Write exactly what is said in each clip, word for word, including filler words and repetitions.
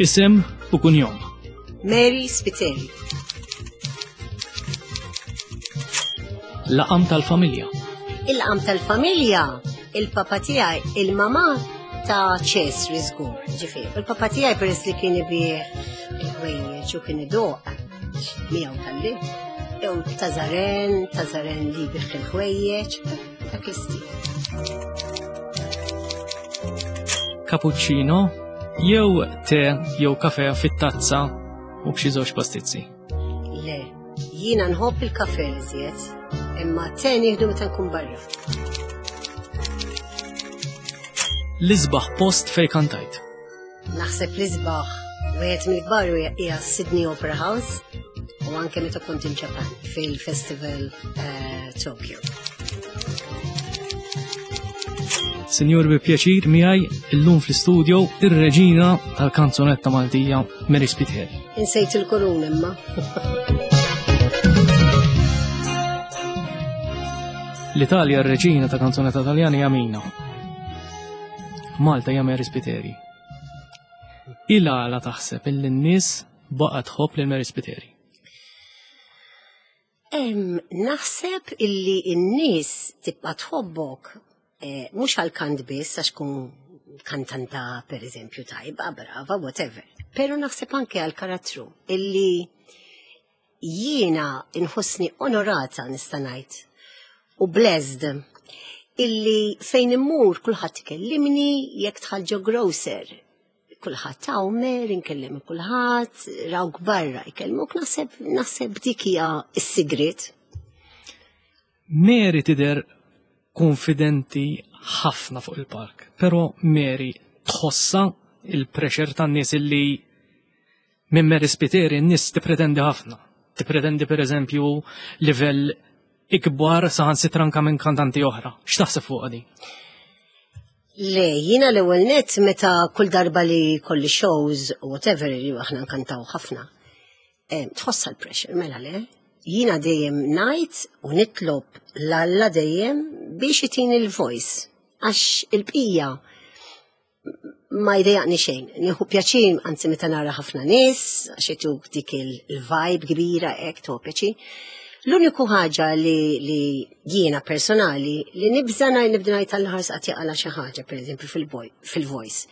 Isem u kunjom. Mary Spiteri. Laqam tal-familja. Il-laqam tal-familja, il-papa tiegħi, il-mama ta' Ċesri żgur, ġifieri. Il-papa tiegħi peress li kien ibih il-ħwejjeġ u kien idoq miegħu tal-lib, jew ta' Zaren, ta' Zaren li jbigħ il-ħwejjeġ, dak l-istil. Cappuccino jew te jew kafe fit-tazza u b'xi żewġ pastizzi. Le, jiena nħobb il-kafe iżjed, imma te nieħdu meta nkun barra. L-isbaħ post fej kantajt. Naħseb l-isbaħ wieħed mill-kbar hija Sydney Opera House u anke meta kont il-Ġapan fil-Festival eh, Tokyo. Sinjur bi pjaċir miegħi illum fl-istudio ir-reġina tal-kanzunetta Maltija Mary Spiteri. Insejt il-korun imma. L-Italja r-reġina ta' kanzunetta Taljana hija Mina. Malta hija Mary Spiteri. Il-għala taħseb illi n-nies baqgħet tħobb lil Mary Spiteri. Em, naħseb illi n-nies tibqa' tħobbok eh, mhux għal kant biss għax kun kantanta per eżempju tajba, brava, whatever. Pero naħseb anke għal karattru illi jiena inħossni onorata nista' ngħid u blessed illi fejn immur kulħadd ikellimni jekk dħal ġo grocer. Kulħadd hawn inkellem kulħadd, rawk barra jkellmuk naħseb naħseb dik hija s-sigriet. Mary tidher konfidenti ħafna fuq il-park, pero Mary tħossa il-pressure tan-nies illi minn Mary Spiteri n-nies tippretendi ħafna. Tippretendi per eżempju livell ikbar saħansitra anka minn kantanti oħra. X'taħseb fuq di? Le, jiena l-ewwel nett meta kull darba li kolli shows u whatever li aħna nkantaw ħafna. eh, Tħossa l-pressure, mela le? Jiena dejjem ngħid u nitlob l-Alla dejjem biex itini l-voice. Għax il-bqija ma jdejjaqni xejn. Nieħu pjaċir, anzi meta nara ħafna nies, għax ituk dik il-vibe kbira hekk tuħu pjaċir. L-uniku ħaġa li, li jiena personali li nibża ngħid nibda ngħid tal-ħars qatt jaqala xi ħaġa, pereżempju fil-voice.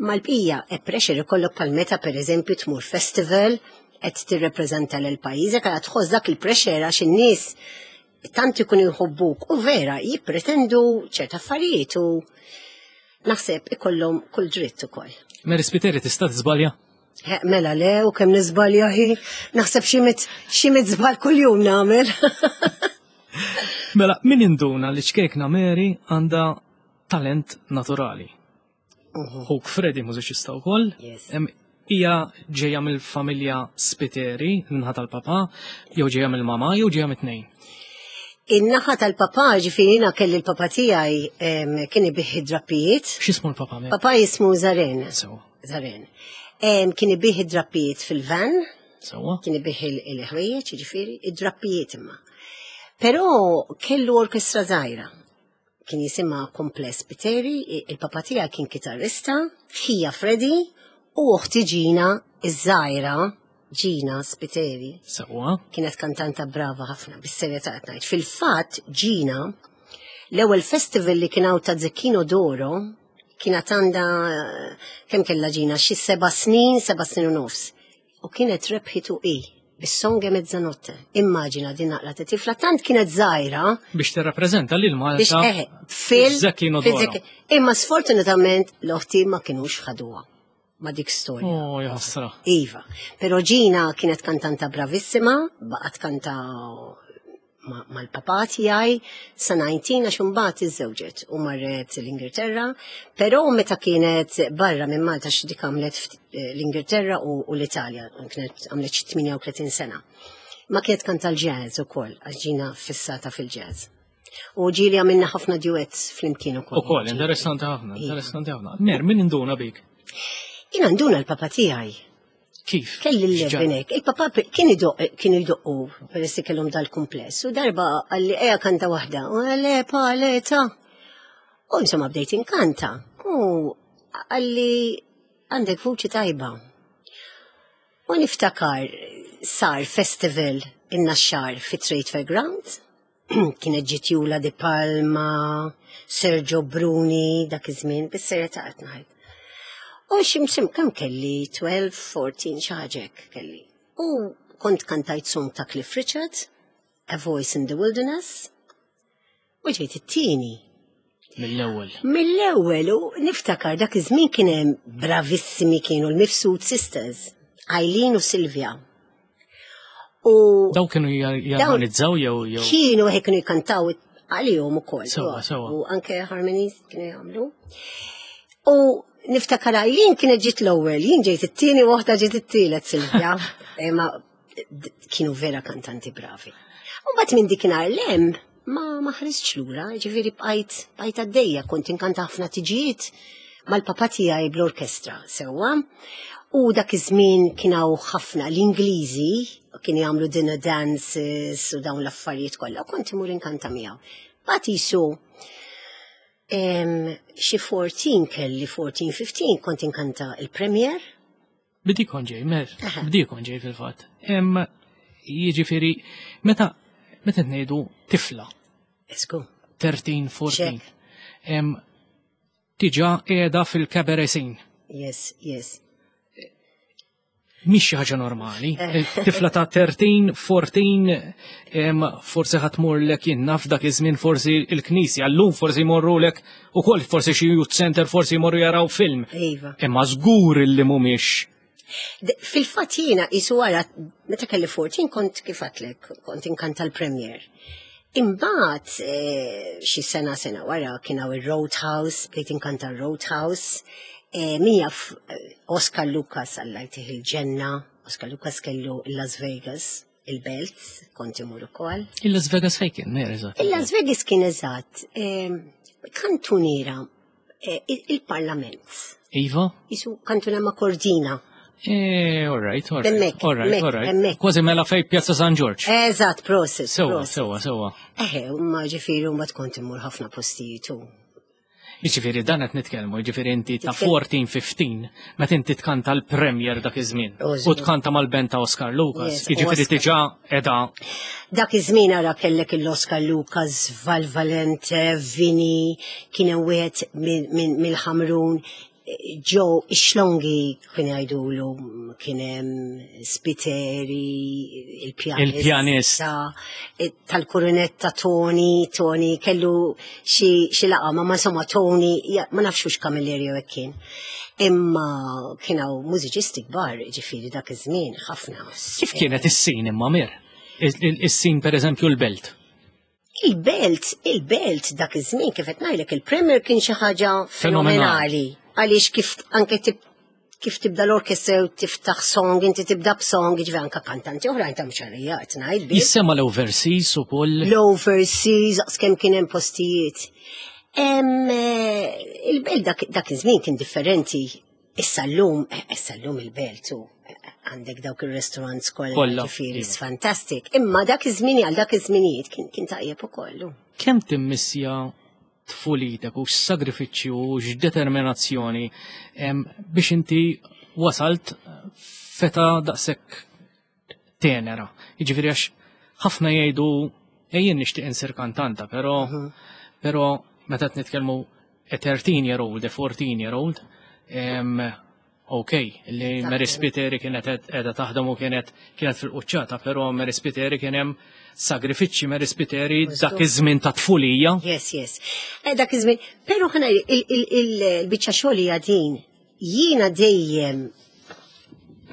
Ma l-bqija e pressure ikollok bħal meta pereżempju tmur festival qed tirrepreżenta lil pajjiżek għal tħoss dak il-pressure għax in-nies tant ikunu jħobbuk u vera jippretendu ċerta affarijiet u naħseb ikollhom kull dritt ukoll. Mary Spiteri tista' tiżbalja? He, Mela le, u kemm niżbalja hi, naħseb xi mit xi mit żball kuljum nagħmel. Mela, min induna li ċkejkna Mary għandha talent naturali. Ħuk Freddy mużiċista wkoll. Yes. Em, Hija ġejja mill-familja Spiteri, minħa tal-papa, jew ġejja mill-mama, jew ġejja mit-tnejn. In-naħa tal-papà, ġifieri jiena kelli l-papà tiegħi em, kien ibih id-drappijiet. X'ismu l-papa Mary? Papà jismu Zaren. Sewa. Zaren. Em, Kien ibih id-drappijiet fil-van, Sewa. kien ibih il-ħwejjeġ, ġifieri, id-drappijiet imma. Però kellu orkestra żgħira. Kien jisimha Kompless Spiteri, il-papà tiegħi kien kitarrista, ħija Freddy u uħti Ġina iż-żgħira Ġina Spiteri. Sewa. Kienet kantanta brava ħafna, bis-serjetà qed ngħid. Fil-fatt Ġina l-ewwel festival li kien hawn ta' Zecchino d'Oro kienet għandha kemm kellha Ġina xi seba' snin, seba' snin u nofs. U kienet rebħitu i bis-song È Mezzanotte. Immaġina din naqra ta' tifla tant kienet żgħira Biex tirrappreżenta lil biex Malta. eħe fil Zecchino fil d'Oro. Zecchi- Imma sfortunatament l-oħti ma kinux ħaduha ma dik storja. Oh, jaħsra. Iva, pero Ġina kienet kantanta bravissima, baqgħet kanta ma- mal-papà tiegħi sa disgħin għax imbagħad iżżewġet u marret l-Ingilterra, però meta kienet barra minn Malta xi dik għamlet ft- eh, l-Ingilterra u, u l-Italja, kienet għamlet xi tmienja u tletin sena. Ma kienet kanta l-jazz ukoll, għax Ġina fissata fil-jazz. U ġieli għamilna ħafna duets flimkien ukoll. Ukoll, interessanti ħafna, Iva. interessanti ħafna. Mer, min induna bik? Jiena nduna l-papà tiegħi. Kif? Kelli X'ġara? l-lebenek. Il-papà pe- kien idoq, kienu jdoqqu, peress li kellhom dal-kumpless. U darba qalli eja kanta waħda. U għale, pa, le, ta. U insomma bdejt inkanta. U qalli għandek vuċi tajba. U niftakar sar festival in-Naxxar fi Trade Fair Grounds. Kienet ġiet Jula Di Palma, Sergio Bruni, dak iż-żmien, bis-serjetà qed ngħid. U ximsim kemm kelli tnax, erbatax, xi ħaġa hekk kelli. U kont kantajt song ta' Cliff Richard, A Voice in the Wilderness, u ġejt it-tieni. Mill-ewwel. Mill-ewwel, u niftakar dak iż-żmien kien hemm bravissimi, kienu l-Mifsud Sisters, Eileen u Silvia. U Daw kienu jarmonizzaw jew jew. Kienu hekk, kienu jkantaw għalihom ukoll. Sewa, sewa. U anke harmonies kienu jagħmlu. U niftakar Eileen kienet ġiet l-ewwel, jien ġejt it-tieni u waħda ġiet it-tielet, Silvia. Imma kienu vera kantanti bravi. U mbagħad minn dikinhar lem ma ma ħaristx lura, ġifieri bqajt bqajt għaddejja, kont inkanta ħafna tiġijiet mal-papa tiegħi bl-orkestra, sewwa. U dak iż-żmien kien hawn ħafna l-Ingliżi kienu jagħmlu dinner dances u dawn l-affarijiet kollha, u kont imur inkanta miegħu. Mbagħad jisu xi erbatax kelli, erbatax, ħmistax, kont inkanta il-Premier. Bidi kon ġej, mer, bidi kon ġej fil-fatt. Em, Jiġifieri, meta meta ngħidu tifla, Esku. tlettax, erbatax, em, diġà qiegħda fil-cabaret scene. Yes, yes. Mhix xi ħaġa normali. Tifla ta' tlettax, erbatax, em, forsi ħa tmurlek, jien naf, dak iż-żmien forsi il-knisja, llum forsi jmorrulek ukoll forsi xi youth center, forsi jmorru jaraw film. Iva. Imma żgur illi mhumiex. D- Fil-fatt jiena isu wara meta kelli erbatax kont, kif għedtlek, kont inkanta l-Premier. Imbagħad eh, xi sena sena wara kien hawn ir-Roadhouse, bdejt inkanta r-Roadhouse. Eh, Min jaf eh, Oscar Lucas, Alla jtih il-ġenna, Oscar Lucas kellu Las Vegas, il-Belt, kont imur ukoll. Il-Las Vegas fejn kien, mer, eżatt? Il-Las Vegas kien eżatt, eh, kantuniera eh, il- il-Parlament. Iva? Jisu kantuniera ma' Cordina. Eh, all right, all right. Hemmhekk, all right, hemmhekk, all right. hemmhekk. Kważi mela fej Pjazza San Ġorġ. Eżatt, prosit. Sewa, prosit. sewa, sewa. Eħe, ma ġifieri ma tkun immur ħafna postijiet u. Jiġifieri dan qed nitkellmu, jiġifieri inti ta' Titkellem- erbatax, ħmistax, meta inti tkanta l-Premier dak iż-żmien. Użgur. U tkanta mal-band ta' Oscar Lucas. Yes, Jiġifieri Oscar. diġà qiegħda Dak iż-żmien ara kellek il-Oscar Lucas, Val Valente, Vini, kien hemm wieħed minn- minn- mill-Ħamrun, Joe Ixlongi kien jgħidulu, kien hemm Spiteri, il-pjanist. Il-pjanist. Tal-kurunetta Tony, Tony kellu xi xi laqa, ma ma insomma Tony, ja, ma nafx hux Camilleri jew hekk kien. Imma kien hawn mużiċisti kbar, ġifieri dak iż-żmien ħafna. Kif kienet is-scene imma, Mir? Is-scene, per eżempju, l-Belt. Il-Belt, il-Belt dak iż-żmien, kif qed ngħidlek, il-Premier kien xi ħaġa fenomenali. Għaliex kif anke tib, kif tibda l-orkestra u tiftaħ song, inti tibda b'song, ġifieri anke kantanti oħrajn ta' mxarija qed ngħid biss. Jissema l-overseas ukoll. L-overseas, kemm kien hemm postijiet. Em, eh, Il-Belt dak, dak iż-żmien kien differenti. Issa llum, eh, issa llum il-Belt u eh, għandek dawk il-restaurants kollha, Kollha, ġifieri iva. fantastic. Imma dak iż-żmien, għal dak iż-żminijiet kien kien tajjeb ukoll. Kemm timmissja tfulitek u x'sagrifiċċju u x'determinazzjoni em, biex inti wasalt f'età daqshekk tenera? Jiġifieri għax ħafna jgħidu, "Ejjin nixtieq insir kantanta", però però meta qed nitkellmu a thirteen year old, a fourteen year old, em, ok, li Mary Spiteri kienet qiegħda taħdem u kienet kienet fil-quċċata, però Mary Spiteri kien hemm sagrifiċċji, Mary Spiteri dak iż-żmien ta' tfulija. Yes, yes. Eh, dak iż-żmien, però ħana il-biċċa xogħol hija din. Jiena dejjem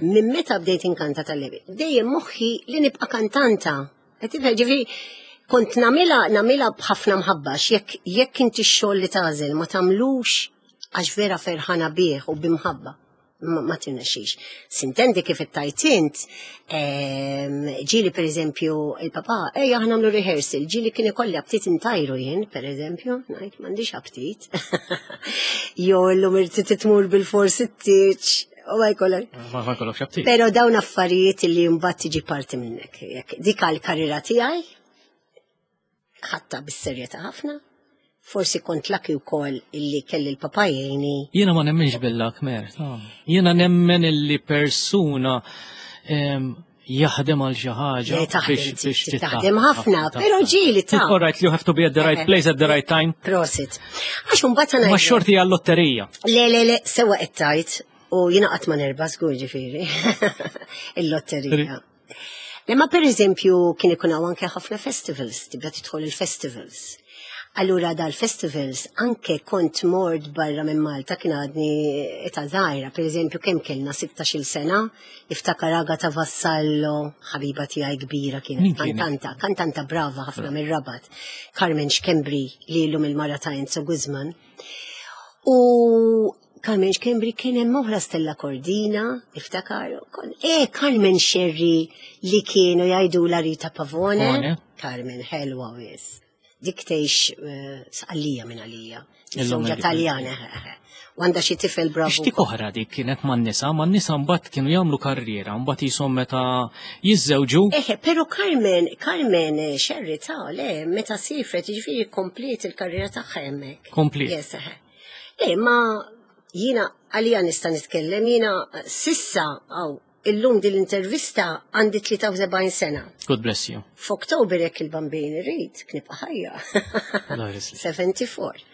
minn meta bdejt inkanta tal-lebi, dejjem moħħi li nibqa' kantanta. Qed tifhem, ġifieri kont nagħmilha nagħmilha b'ħafna mħabba, jekk jekk inti x-xogħol li tagħżel ma tagħmlux għax vera ferħana bih u bimħabba, ma ma tirnexxix. Sintendi kif ittajt int, ehm, ġieli per eżempju il-papa, "Ejja aħna nagħmlu rehearsal", ġieli kien ikolli aptit intajru jien, per eżempju, ngħid, "M'għandix aptit." Jew "Illum irrid titmur bil-fors it-tieġ", u ma jkollok. Ma ma jkollokx aptit. Pero dawn affarijiet li mbagħad tiġi parti minnek. Jekk dik għal-karriera tiegħi, ħadtha bis-serjetà ħafna. Forsi kont lucky wkoll illi kelli l-papa jgħinni. Jiena ma nemmenx bil-luck, Mer. Jiena nemmen illi persuna em, jaħdem għal xi ħaġa Le, taħdem, biex biex trid taħdem ħafna, però ġieli ta' All right, you have to be at the right Eh. place at the right time. Prosit. Għax mbagħad Ma xorti għal-lotterija. Le, le, le, sewa qed tgħid u jiena qatt ma nerba żgur ġifieri. Il-lotterija. Le ma per eżempju kien ikun hawn anke ħafna festivals, tibda tidħol il-festivals. Allura dal-festivals anke kont mort barra minn Malta kien għadni età żgħira, per eżempju kemm kellna sittax-il sena, niftakar Agata Vassallo, ħabiba tiegħi kbira Min kienet, kienet? kantanta, kantanta brava ħafna mir-Rabat, Carmen Schembri li llum il-mara ta' Enzo Guzman. U Carmen Schembri kien hemm oħra Stella Cordina, niftakar, kon- eh Carmen Scerri li kienu jgħidu la Rita Pavone. Pavone. Carmen ħelwa wis. Dik tgħix eh, Sqallija minn għalija. Illum Żewġa il- Taljana. U għandha xi tifel bravu. X'tik oħra dik kienet man-nisa, man-nisa mbagħad kienu jagħmlu karriera, mbagħad jisom meta jiżżewġu. Eħe, pero Carmen, Carmen eh, Scerri ta' le, meta sifret, ġifieri kompliet il-karriera tagħha hemmhekk. Kompliet. Yes, eħe. Le, ma jiena għalija nista' nitkellem, jiena sissa, għaw, illum din l-intervista għandi tlieta u sebgħin sena. God bless you. F'Oktober jekk il-bambin irid, nibqa' ħajja. Allah jrisli. sebgħa u sebgħin.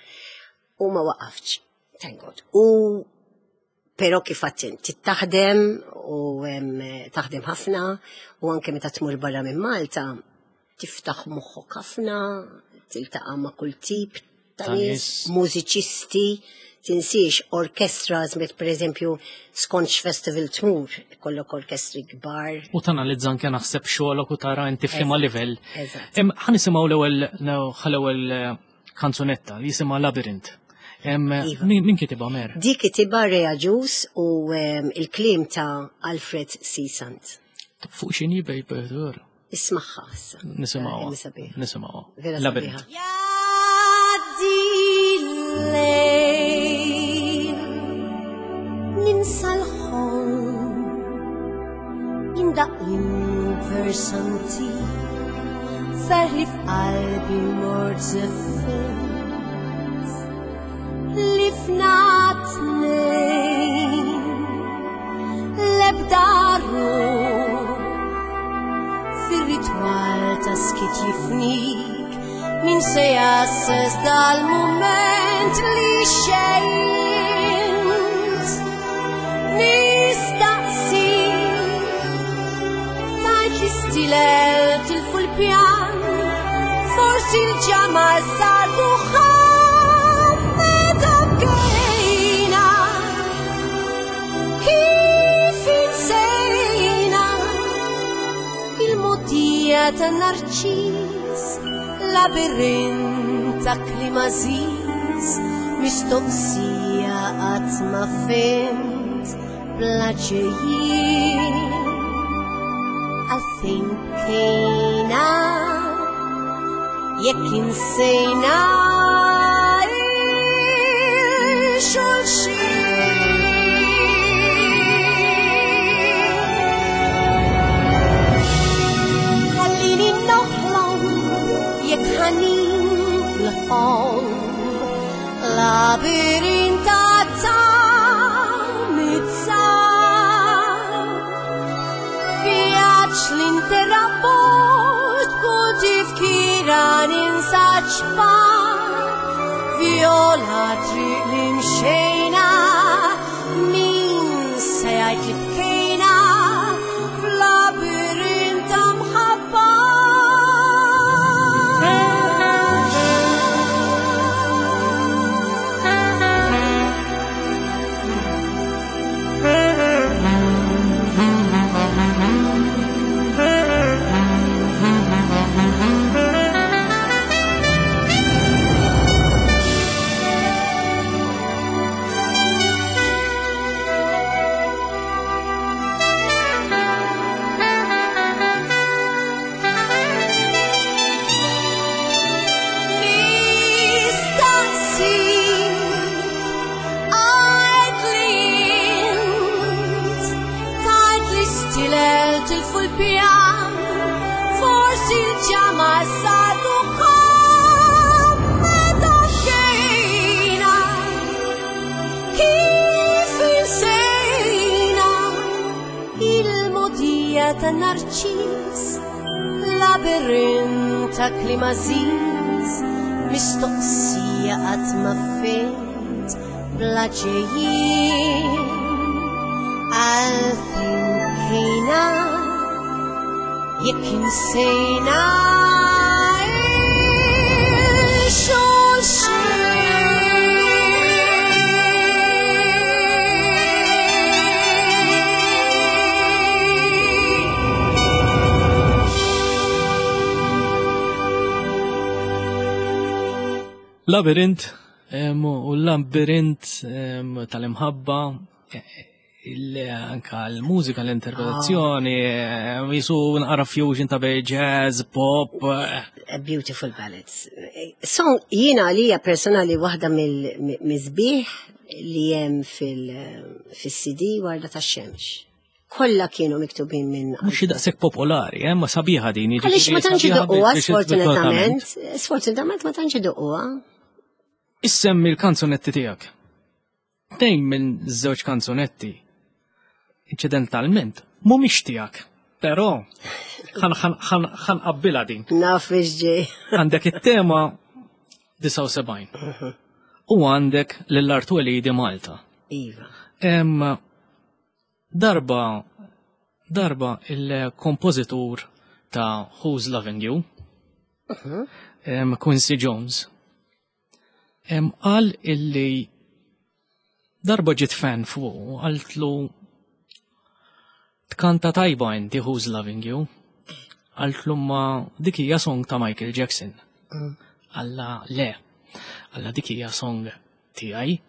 U ma waqaftx, thank God. U pero kif għattin, taħdem u em, taħdem ħafna u anke meta tmur barra minn Malta, tiftaħ moħħok ħafna, tiltaqa' ma' kull tip ta' Ta' nies, nies. mużiċisti, tinsiex orkestras, met per eżempju skont festival tmur, kollok orkestri kbar. U tanalizza anke naħseb xogħolok u tara inti f'liema Eżatt, livell. Eżatt. Em, ħa nisimgħu l-ewwel l-ewwel eh, kanzunetta li jisimha Labyrinth. Em, Iva. Min min kitibha Mer? Dik kitibha Ray Agius u em, il-kliem ta' Alfred C. Sant. Fuq x'inhi baby? Ismagħha issa. Nisimgħuha. Vera sabiħa. Nisimgħuha. Vera Labyrinth. sabiħa. Jgħaddi l-lejl, ninsa l-ħolm, jindaq vers antik, ferħ li f'qalbi mort żeffint, li fna tnejn, l-ebda ruħ, fir-ritwal ta' skit jifnik, min se jasses dal-moment li xejnt. Nistaqsi, tajt li stilel tilfu l-pjan, forsi l-ġama sar duħan, meta bkejna, kif insejna, il-mogħdija ta' narċis, labirint ta' kliem għażiż, mistoqsija qatt ma fhimt bla ġejjin. Għalfejn bkejna, jekk insejna il-xulxin. Ħallini noħlom jekk ħanin l-ħolm, labirint ta' tamizzar, vjaġġ l-interrabort kull tifkira ninsa ċpar, viola triq li mxejna, min se jgħid li bkejna f'labirint ta' mħabba. Nistaqsi, għajd li int, tajt li stilel tilfu l-pjan, forsi l-ġama sar duħan, meta bkejna, kif insejna, il-mogħdija ta' narċis, labirint ta' kliem għażiż, mistoqsija qatt ma fhimt bla ġejjin. Għalfejn bkejna jekk insejna il-xulxin. Labirint, em, u l-labirint em, tal-imħabba, eh, il- anka l-mużika, l-interpretazzjoni, em, jisu naqra fusion ta' bej jazz, pop. eh, A beautiful ballads. Song jiena għalija personali waħda mill-sbieħ li hemm fil-C D Warda ta' Xemx. Kollha kienu miktubin minn Mhux daqshekk popolari, eh, ma sabiħa din. Għaliex ma tantx sabiħa idoqquha, biex- sfortunatament. Sfortunatament ma tantx idoqquha. Issemmi l-kanzunetti tiegħek. Tnejn minn żewġ kanzunetti, inċidentalment, mhumiex tiegħek. Però ħa nqabbilha din. Naf biex ġej. Għandek it-tema disgħa u sebgħin. U għandek Lil Art Twelidi Malta. Iva. Em, darba, darba il-kompożitur ta' Who's Loving You, em, Quincy Jones, em, qal illi darba ġiet fan fuq, qaltlu tkanta tajba inti Who's Loving You. Qaltlu ma dik hija song ta' Michael Jackson. Qallha le, qallha dik hija song tiegħi,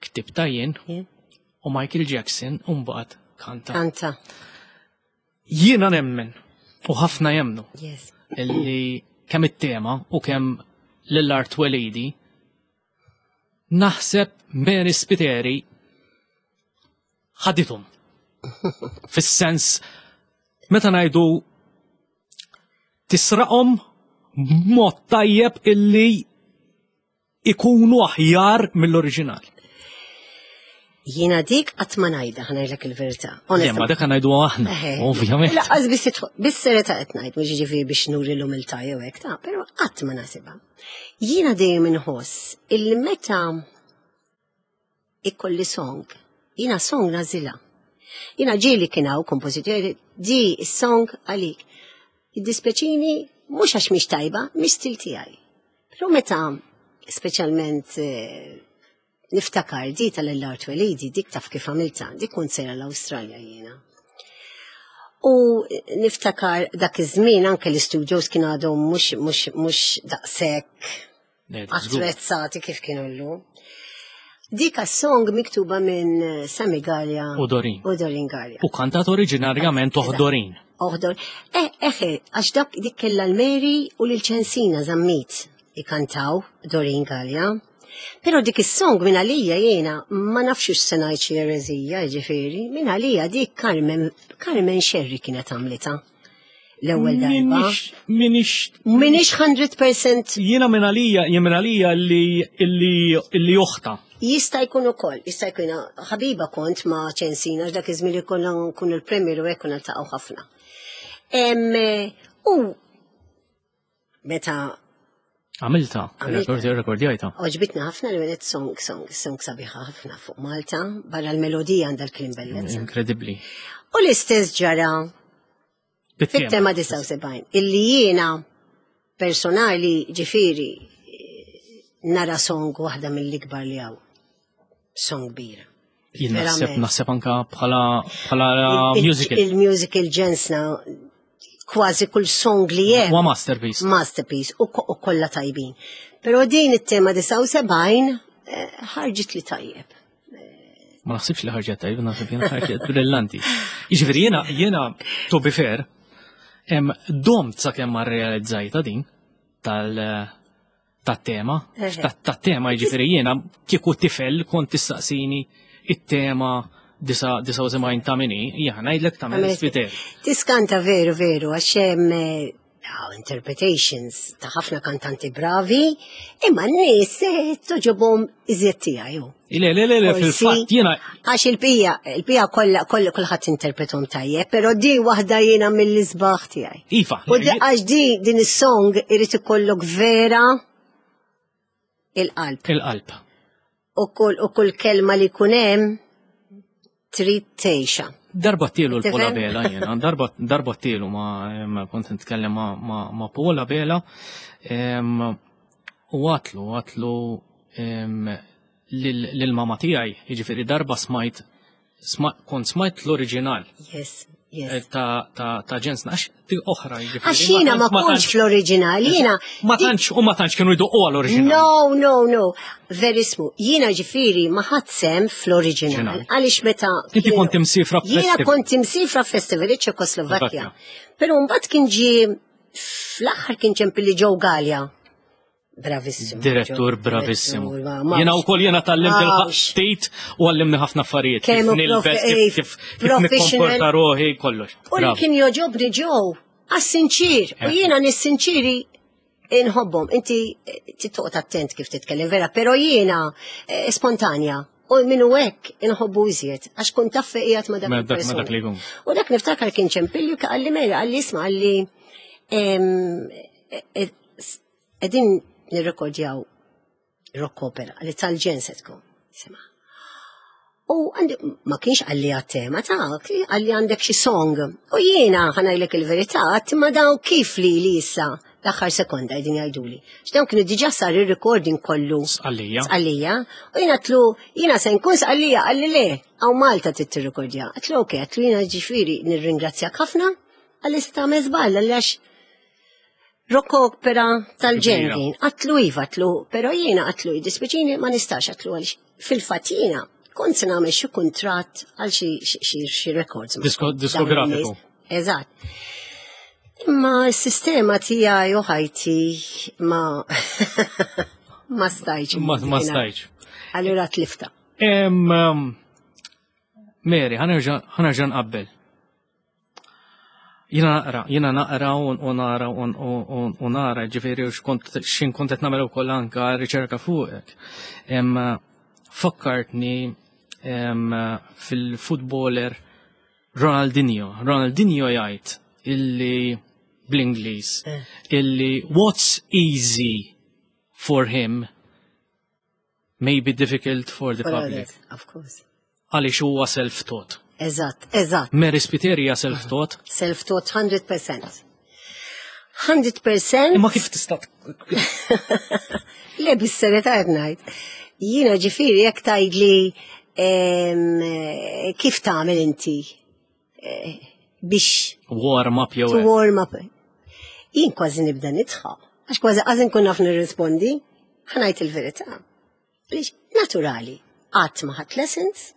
ktibta jien Jien? u Michael Jackson mbagħad kanta. Kanta. Jiena nemmen u ħafna jemnu Yes. illi kemm it-tema u kemm Lil Art Twelidi naħseb Mary Spiteri ħadithom. Fis-sens meta ngħidu tisraqhom b'mod tajjeb illi ikunu aħjar mill-oriġinal. Jiena dik qatt ma ngħidha, ħa ngħidlek il-verità. Le, ma dak ngħidu aħna, Eħe. ovvjament. Lanqas biss idħol, bis-serjetà qed ngħid, mhux jiġifieri biex nuri l-umiltà jew hekk ta' però qatt ma nasibha. Jiena dejjem inħoss illi meta ikolli song, jiena song nagħżilha. Jiena ġieli kien hawn kompożitori di song għalik. Id-dispjaċini mhux għax mhix tajba, mhix stil tiegħi. Però meta speċjalment eh, niftakar di tal-Art Twelidi, dik taf kif għamilta, dik kont sejra l-Awstralja jiena. U niftakar dak iż-żmien anke l-studios kien għadhom mhux mhux mhux daqshekk Le, żgur. attrezzati kif kienu llum. Dik song miktuba minn Sammy Galea U Doreen. U Doreen Galea. U kantat oriġinarjament oħt Doreen. Oħdor. Eh, eħe, għax dak dik kella l-Mary u l-Ċensina Zammit ikantaw Doreen Galea. Pero dik is-song minn għalija jiena ma nafx se ngħid xi ereżija, ġifieri, minn għalija dik Carmen Carmen Scerri kienet għamlita l-ewwel darba. Minix, minix, Minix mija fil-mija jiena minn għalija, jien minn għalija li, li, li oħtha. Jista' jkun ukoll, jista' jkun ħabiba kont ma' Ċensina dak iż-żmien li konna nkunu l-premier u hekk konna niltaqgħu ħafna. Em, U meta Għamilta, Għamilta. rekordjajta. Għoġbitna ħafna li għenet song, song, song sabiħa ħafna fuq Malta, barra l-melodija għandha l-klim bellezza. Inkredibli. U l-istess ġara fit-tema disgħa u sebgħin, illi jiena personali ġifieri nara song waħda mill-ikbar li hawn. Song kbira. Jien naħseb Verament. naħseb anka bħala bħala Il- musical. Il-musical ġensna kważi kull song li hemm. Huwa masterpiece. Masterpiece u ko- u kollha tajbin. Però din it-tema disgħa u sebgħin eh, ħarġit li tajjeb. Ma naħsibx li ħarġet tajjeb, naħseb jiena ħarġet brillanti. Jiġifieri jiena jiena to be fair, em domt sakemm ma rrealizzajta din tal tat-tema, Eħe. tat-tema jiġifieri jiena kieku tifel kont tistaqsini it-tema disgħa u sebgħin ta' min hi, jiena ngħidlek ta' Mary Spiteri. Tiskanta veru veru, għax hemm eh, Hawn interpretations ta' ħafna kantanti bravi, imma n-nies eh, togħġobhom iżjed tiegħi. Le, le, le, le, fil-fatt jiena Għax il-pija, il-pija kollha kollha kulħadd interpretahom tajjeb, però di waħda jiena mill-isbaħ tiegħi. Iva. U di- għax di din is-song irid ikollok vera il-qalb. Il-qalb. U kull u kull kelma li jkun hemm trid tgħixha. Darba tielu l-Paul Tifhem? Abela jena, darba, darba tielu ma, em, kont nitkellem ma, ma, ma Paul Abela em, u għedtlu, għedtlu em, lil- lil-mama tiegħi, jiġifieri darba smajt, sma, kont smajt l-oriġinal Yes, eh, yes. ta' ta' ta' ġensna, għax di oħra jiġifieri. Għax jiena ma kontx fl-oriġinal, jiena Ma tantx, u ma tantx kienu jdoqqu għal-oriġinal. No, no, no. Verismu. Jiena ġifieri ma ħadt sehem fl-oriġinal. Oriġinal. Għaliex meta. Inti kienu- kont imsifra Jiena f'festival. kont imsifra festival iċ-Ċekoslovakkja. Slovakkja. Però mbagħad kien ġie fl-aħħar kien ċempilli Joe Galea. Bravissimo. Direttur Joe, bravissimo. direttur, ma- ma- Jena u koll jena tgħallimt Mawx. il-ħaftit u għallimni ħafna affarijiet. Kif Kemm hu nilbes, profe- kif kif kif professional. nikkomporta ruħi, kollox. U li Bravo. kien jogħġobni Joe, għax sinċir. U Eh. jiena nis-sinċiri inħobbhom. Inti eh, titoqgħod attent kif titkellem vera, però jiena eh, spontanja. U minnu hekk inħobbu iżjed, għax kont taf qiegħed ma dak Ma dak- ma il-persuna. dak li jkun. U dak niftakar kien ċempilli qalli mela, qalli isma' qalli em, e- e- s- qegħdin nirrekordjaw rock opera, qalli tal-ġenn se tkun. Sema. U għandi, ma kienx qalli għat-tema ta' qalli għandek xi song. U jiena ħa ngħidlek il-verità, ma daw kif li li issa l-aħħar sekonda qegħdin jgħiduli. X'dawn kienu diġà sar ir-recording kollu. Sqallija. Sqallija. U jiena għedtlu, jiena se nkun Sqallija, qalli le, hawn Malta trid tirrekordja. Għedtlu ok, għedtlu jiena ġifieri nirringrazzjak ħafna, qalli sta żball, qalli għax rock opera tal-ġenn din. Għedtlu iva, għedtlu, pero jiena għedtlu jiddispjaċini ma nistax għedtlu għalix fil-fatt jiena kont se nagħmel xi kuntratt għal xi xi xi records. ma' Disko- dawn diskografiku. in-nies. Eżatt. Imma s-sistema tiegħi u ħajti ma ma stajċ. Ma ma stajċ. Allura tlifta. Em, um, Mary, ħa nerġa' nqabbel. Jiena naqra, jiena naqra u u nara u u- u nara, ġifieri u xkont xin kont qed nagħmel ukoll anka riċerka fuqek. Em, Fakkartni em, fil-footballer Ronaldinho. Ronaldinho jgħid illi bl-Ingliż Eh. illi what's easy for him may be difficult for the public. Of course. Għaliex huwa self-taught. Eżatt, eżatt. Mary Spiteri hija self-taught. Self-taught hundred percent. hundred percent. Imma kif tista' Le, bis-serjetà qed ngħid. Jiena ġifieri jekk tgħidli em, kif tagħmel inti eh, biex warm up jew to hekk. warm up. Jien kważi nibda nidħaq. Għax kważi għażin nkun naf nirrispondi, ħa ngħid il-verità. Għaliex naturali, qatt ma ħadt lessons.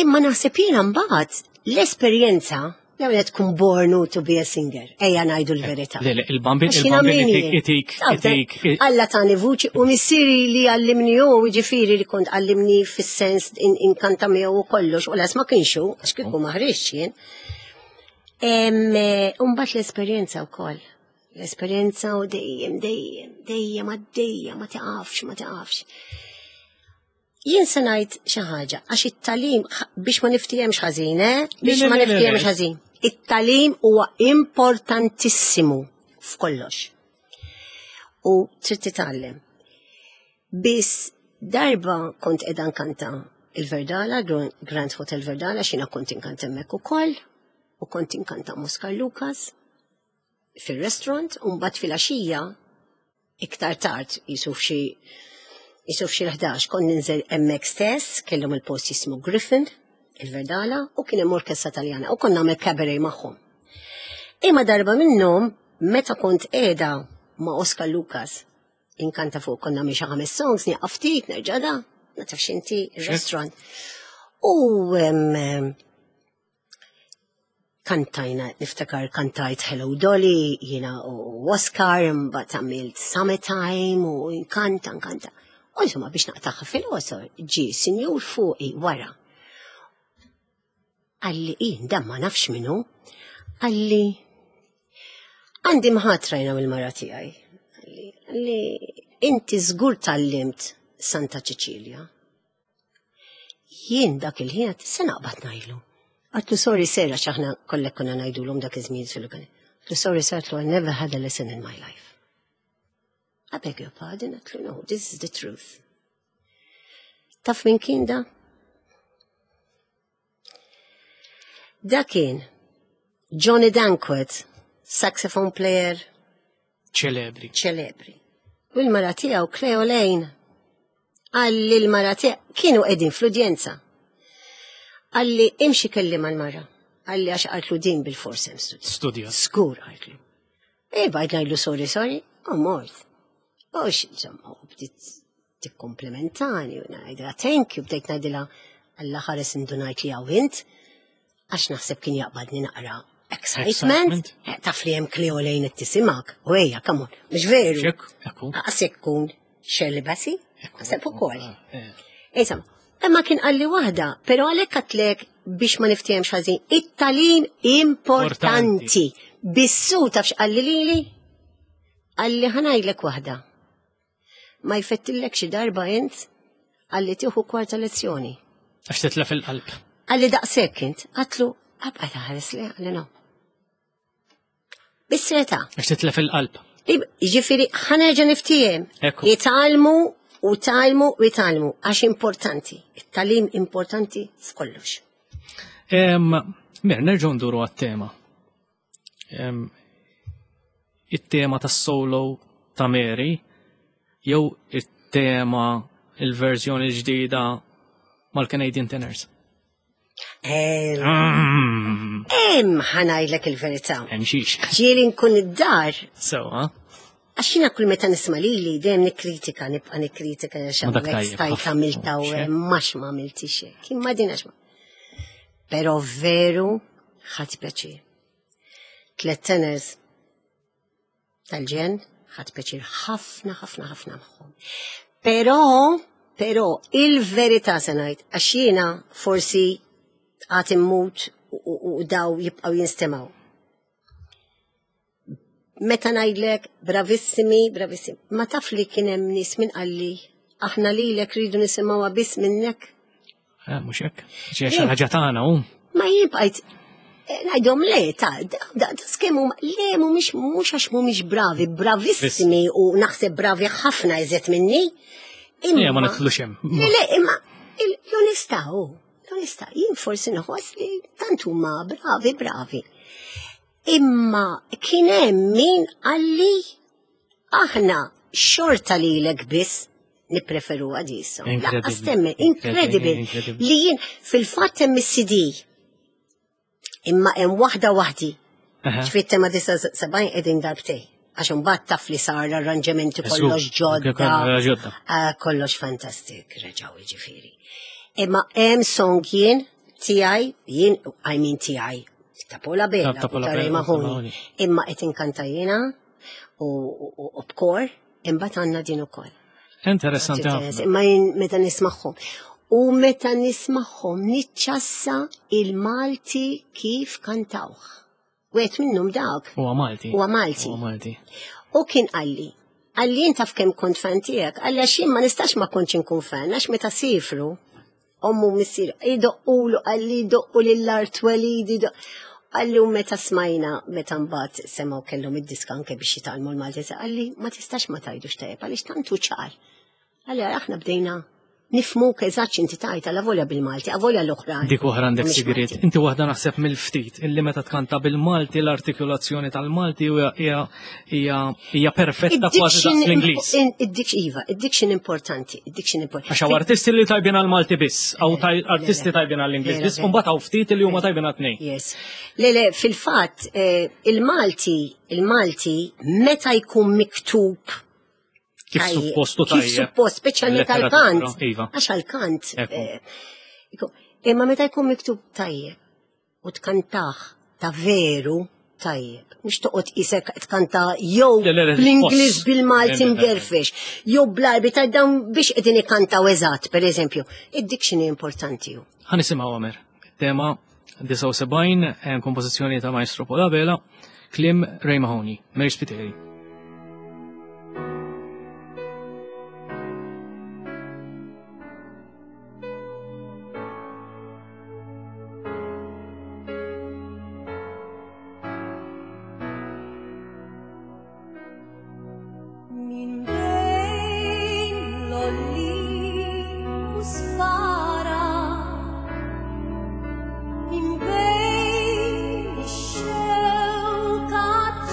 Imma naħseb jiena mbagħad l-esperjenza l tkun born to be a singer. Ejja ngħidu l-verità. Le, le, il-bambin, Għax jiena il-bambin min itik, jien? itik, Taf, itik. Alla tani vuċi u missieri li għallimni u ġifieri li kont għallimni fis-sens inkanta miegħu u kollox u las ma kienx hu, għax kieku ma ħriġx jien. Umbagħad l-esperjenza wkoll. L-esperjenza u dejjem, dejjem, dejjem għaddejja, ma taqafx, ma taqafx. Jien se ngħid xi ħaġa, għax it-tagħlim biex ma niftihemx ħażin, eh? Biex Le, le, ma le, le, niftihemx le. ħażin. It-tagħlim huwa importantissimu f'kollox. U trid titgħallem. Biss darba kont qiegħda nkanta il-Verdala, Grand Hotel Verdala, xina kont inkanta hemmhekk ukoll, u kont inkanta Oscar Lucas fil-restaurant, u mbagħad fil-għaxija iktar tard jisu f'xi jisu f'xi l-ħdax kont ninżel hemmhekk stess, kellhom il-post jismu Griffin, il-Verdala, u kien hemm orkestra Taljana, u kont nagħmel cabaret magħhom. Imma darba minnhom, meta kont qiegħda ma' Oscar Lucas, inkanta fuq konna nagħmel xi ħames songs, nieqaf ftit, nerġa' da, ma tafx inti il-restaurant. U em, em, kantajna, niftakar kantajt Hello Dolly, jiena u Oscar, mbagħad għamilt Summertime u nkanta, nkanta. U insomma biex naqtaħħa fil-qosor, ġi sinjur fuqi wara. Qalli, jien dan ma nafx minnu, qalli, Għandi mħatra jiena mill-mara tiegħi. Li, li inti żgur tgħallimt Santa Ċeċilja. Jien dak il-ħin se naqbad ngħidlu. Għedtlu sorry sir, għax aħna kollek konna ngħidulhom dak iż-żmien sul Għedtlu sorry sir, għedtlu I never had a lesson in my life. I beg your pardon, għedtlu no, this is the truth. Taf min kien da? Da kien Johnny Dankworth, saxophone player ċelebri. ċelebri. U l-mara tiegħu Cleo Lane. Qalli l-mara tiegħu kienu qegħdin fl-udjenza. Qalli imxi kellim mal-mara. Qalli għax qaltlu din bil-fors hemm studju. Studja. Żgur qaltlu. E bajt ngħidlu sorry, sorry, u mort. U insomma, u bdiet tikkomplimentani u ngħidilha thank you, bdejt ngħidilha Alla ħares indunajt li hawn int, għax naħseb kien jaqbadni naqra excitement. Excitement. Eh, Taf li hemm Cleo Lane qed tisimak. U ejja, come on, mhux veru. Xek, ekku. Aqas jekk Shirley Bassey, naħseb ukoll. Eh, Insomma, imma kien qalli waħda, però għalhekk għedtlek biex ma niftehemx ħażin, it-tagħlim importanti. Bissu taf x'qalli lili? Qalli ħa ngħidlek waħda. Ma jfettillek xi darba int, qalli tieħu kwarta lezzjoni. Għax titlef il-qalb. Qalli daqshekk int, għedtlu, abqa' taħares li, qalli no. Bis-serjetà. Għax titlef il-qalb. Ġifieri, ħa nerġa' niftiehem. Ekku. Jitgħallmu u tgħallmu u jitgħallmu, għax importanti. It-tagħlim importanti f'kollox. Em, Mer, nerġgħu nduru għat-tema. Em, It-tema tas-solo ta' Mary, jew it-tema il-verżjoni ġdida mal-Canadian Tenors. Em, Mm, ħa ngħidlek il-verità. Hemm xiex. Ġieli nkun id-dar, Sewa, għax jiena kull meta nisma' lili dejjem nikkritika, nibqa' nikkritika għax Ma dak hawnhekk tajjeb, stajt ħafna, għamilta u xek. max ma għamiltix hekk. Imma din għax ma. Però veru ħadt pjaċir. Tlet tenors tal-ġenn ħadt pjaċir ħafna, ħafna, ħafna magħhom. Però, però, il-verità se ngħid, għax jiena forsi għad immut u, u, u daw jibqgħu jinstemgħu. Meta ngħidlek bravissimi, bravissimi, ma taf li kien hemm nies min qalli aħna lilek rridu nisimgħuha biss minnek. Eh, mhux hekk. Xi xi ħaġa tagħna hu. Ma jien bqajt eh, ngħidhom le, ta' da, da, da skemu, le, mhumiex mhux għax mhumiex bravi, bravissimi u naħseb bravi ħafna iżjed minni. Le, ma nidħlux hemm. Le, le, imma il- l-onestà hu, l-onestà, jien forsi nħoss li tant huma bravi, bravi. Imma kien hemm min qalli aħna xorta lilek biss nippreferu għadisa. Incredible. Lanqas temmen, incredible. Incredible. Li jien fil-fatt hemm is-CD. Imma hemm waħda waħdi. Aha. Ġifieri tema disa sebgħin qegħdin darbtej. Għax imbagħad taf li sar l-arranġamenti Żgur, kollox ġodda. kollox ġodda. Ah, Kollox fantastik, reġgħu jiġifieri. Imma hemm song jien tiegħi, jien I mean tiegħi, ta' Paul Abela, Ta' Paul ta' Ray Abela, Mahoney. Mahoney. Imma qed inkanta jiena u u- u b'kor, imbagħad għandna din ukoll. Interessanti ħafna. Imma jien meta nismagħhom. U meta nismagħhom niċċassa il-Malti kif kantawh. Wieħed minnhom dak. Huwa Malti. Huwa Malti. Huwa Malti. U kien qalli, qalli jien taf kemm kont fan tiegħek, qalli għax jien ma nistax ma kontx inkun fan, għax meta sifru, ommu missier, idoqqulu, qalli idoqqu lill-art twelid, idoq. Qalli u meta smajna, meta mbagħad semgħu kellhom id-diska anke biex jitgħallmu l-Malti, qalli ma tistax ma tgħidux tajjeb, għaliex tantu ċar. Qalli aħna bdejna nifhmuk eżatt x'inti tajt, għala volja bil-Malti, avolja l-oħrajn. Dik oħra għandek Mhumiex sigriet. Malti. Inti waħda naħseb mill-ftit illi meta tkanta bil-Malti l-artikolazzjoni tal-Malti hija hija hija hija perfetta kważi daqs l-Ingliż. Id-diction, iva, id-diction importanti, id-diction importanti. Għax hawn artisti li tajbin għal-Malti biss, hawn taj- Le, artisti le. tajbin għall-Ingliż Vera, biss, vera. u mbagħad hawn ftit li huma tajbin għat-tnejn. Yes. Le, le, fil-fatt, eh, il-Malti, il-Malti, meta jkun miktub Kif tajjeb, suppostu Kif tajjeb. suppost, speċjalment Il-letteratura, għal-kant. Iva. Għax għal-kant. Ekku. eh, ikun- Imma meta jkun miktub tajjeb u tkantaħ ta' veru tajjeb. Mhux toqgħod isek tkanta jew Le, le, le, bl-Ingliż tħoss. bil-Malti Le, le, le. mgerfex, jew bl-Arbi ta' dawn biex qegħdin ikantaw eżatt, per eżempju. Id-diction importanti hu. Ħa nisimgħu Għamer. Tema disgħa u sebgħin, eh, kompożizzjoni ta' Maestro Paul Abela, Kliem Ray Mahoney, Mary Spiteri. Min bejn l-għolli u sfara, min bejn ix-xewka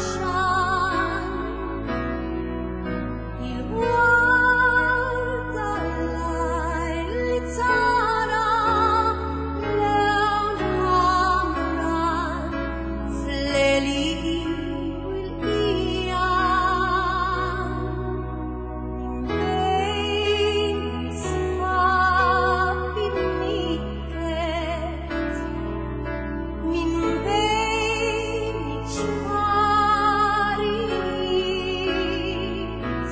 ċan, il-warda l-lajl li tara lewn ħamran fl-għeli u l-qija. Bejn sħab imnikket, min bejn iċ-ċparijiet,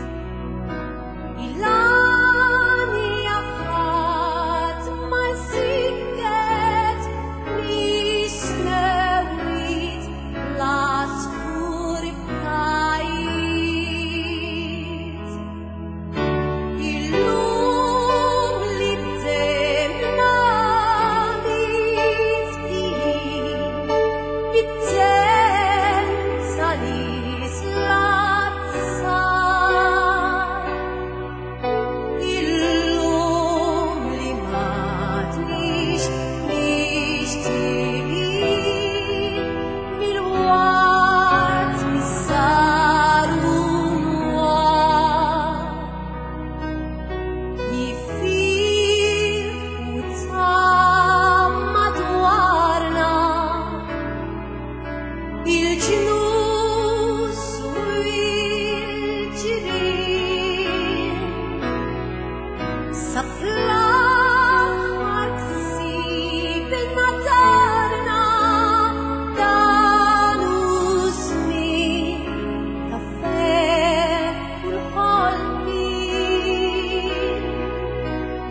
il-għanja ħadd ma jsikket mis-smewwiet l-għasfur ftajt. Illum li bdejna nifdi, bit-temp tal-isla tsar. Illum li m'għadniex nixtieqin mill-ward mis-sar u mwar. Jifir u ta' madwarna il-ġnus u il-ġirien sa fl-aħħar ksibna darna dan hu żmien ta' ferħ u l-ħolqien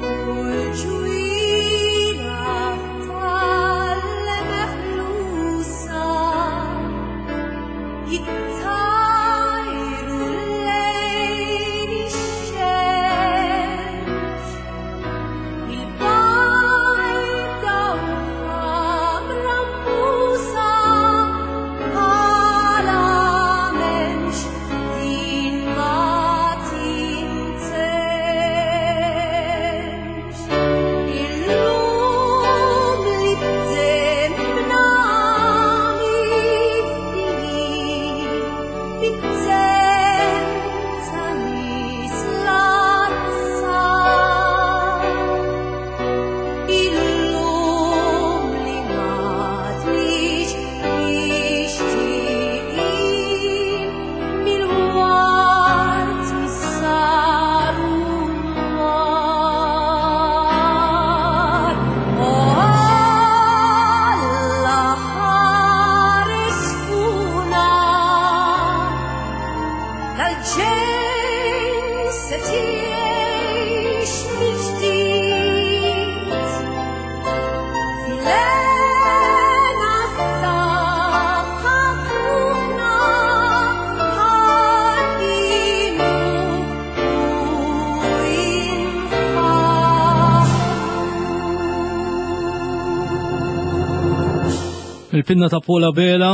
u l-ġwienaħ tal-meħlusa jittajru lejn ix-xemx. Il-bajda u ħamra mbusa bħala m'hemmx din ma tintemx. Illum li bdejna nifdi, bit-temp tal-isla tsar. Illum li m'għadniex nixtieqin mill-ward mis-sar u mwar. O Alla ħares fuqna dal-ġens se tgħix mill-ġdid. Filena s-saħħa ruħna ħadinu u infaħru. Il-pinna ta' Paul Abela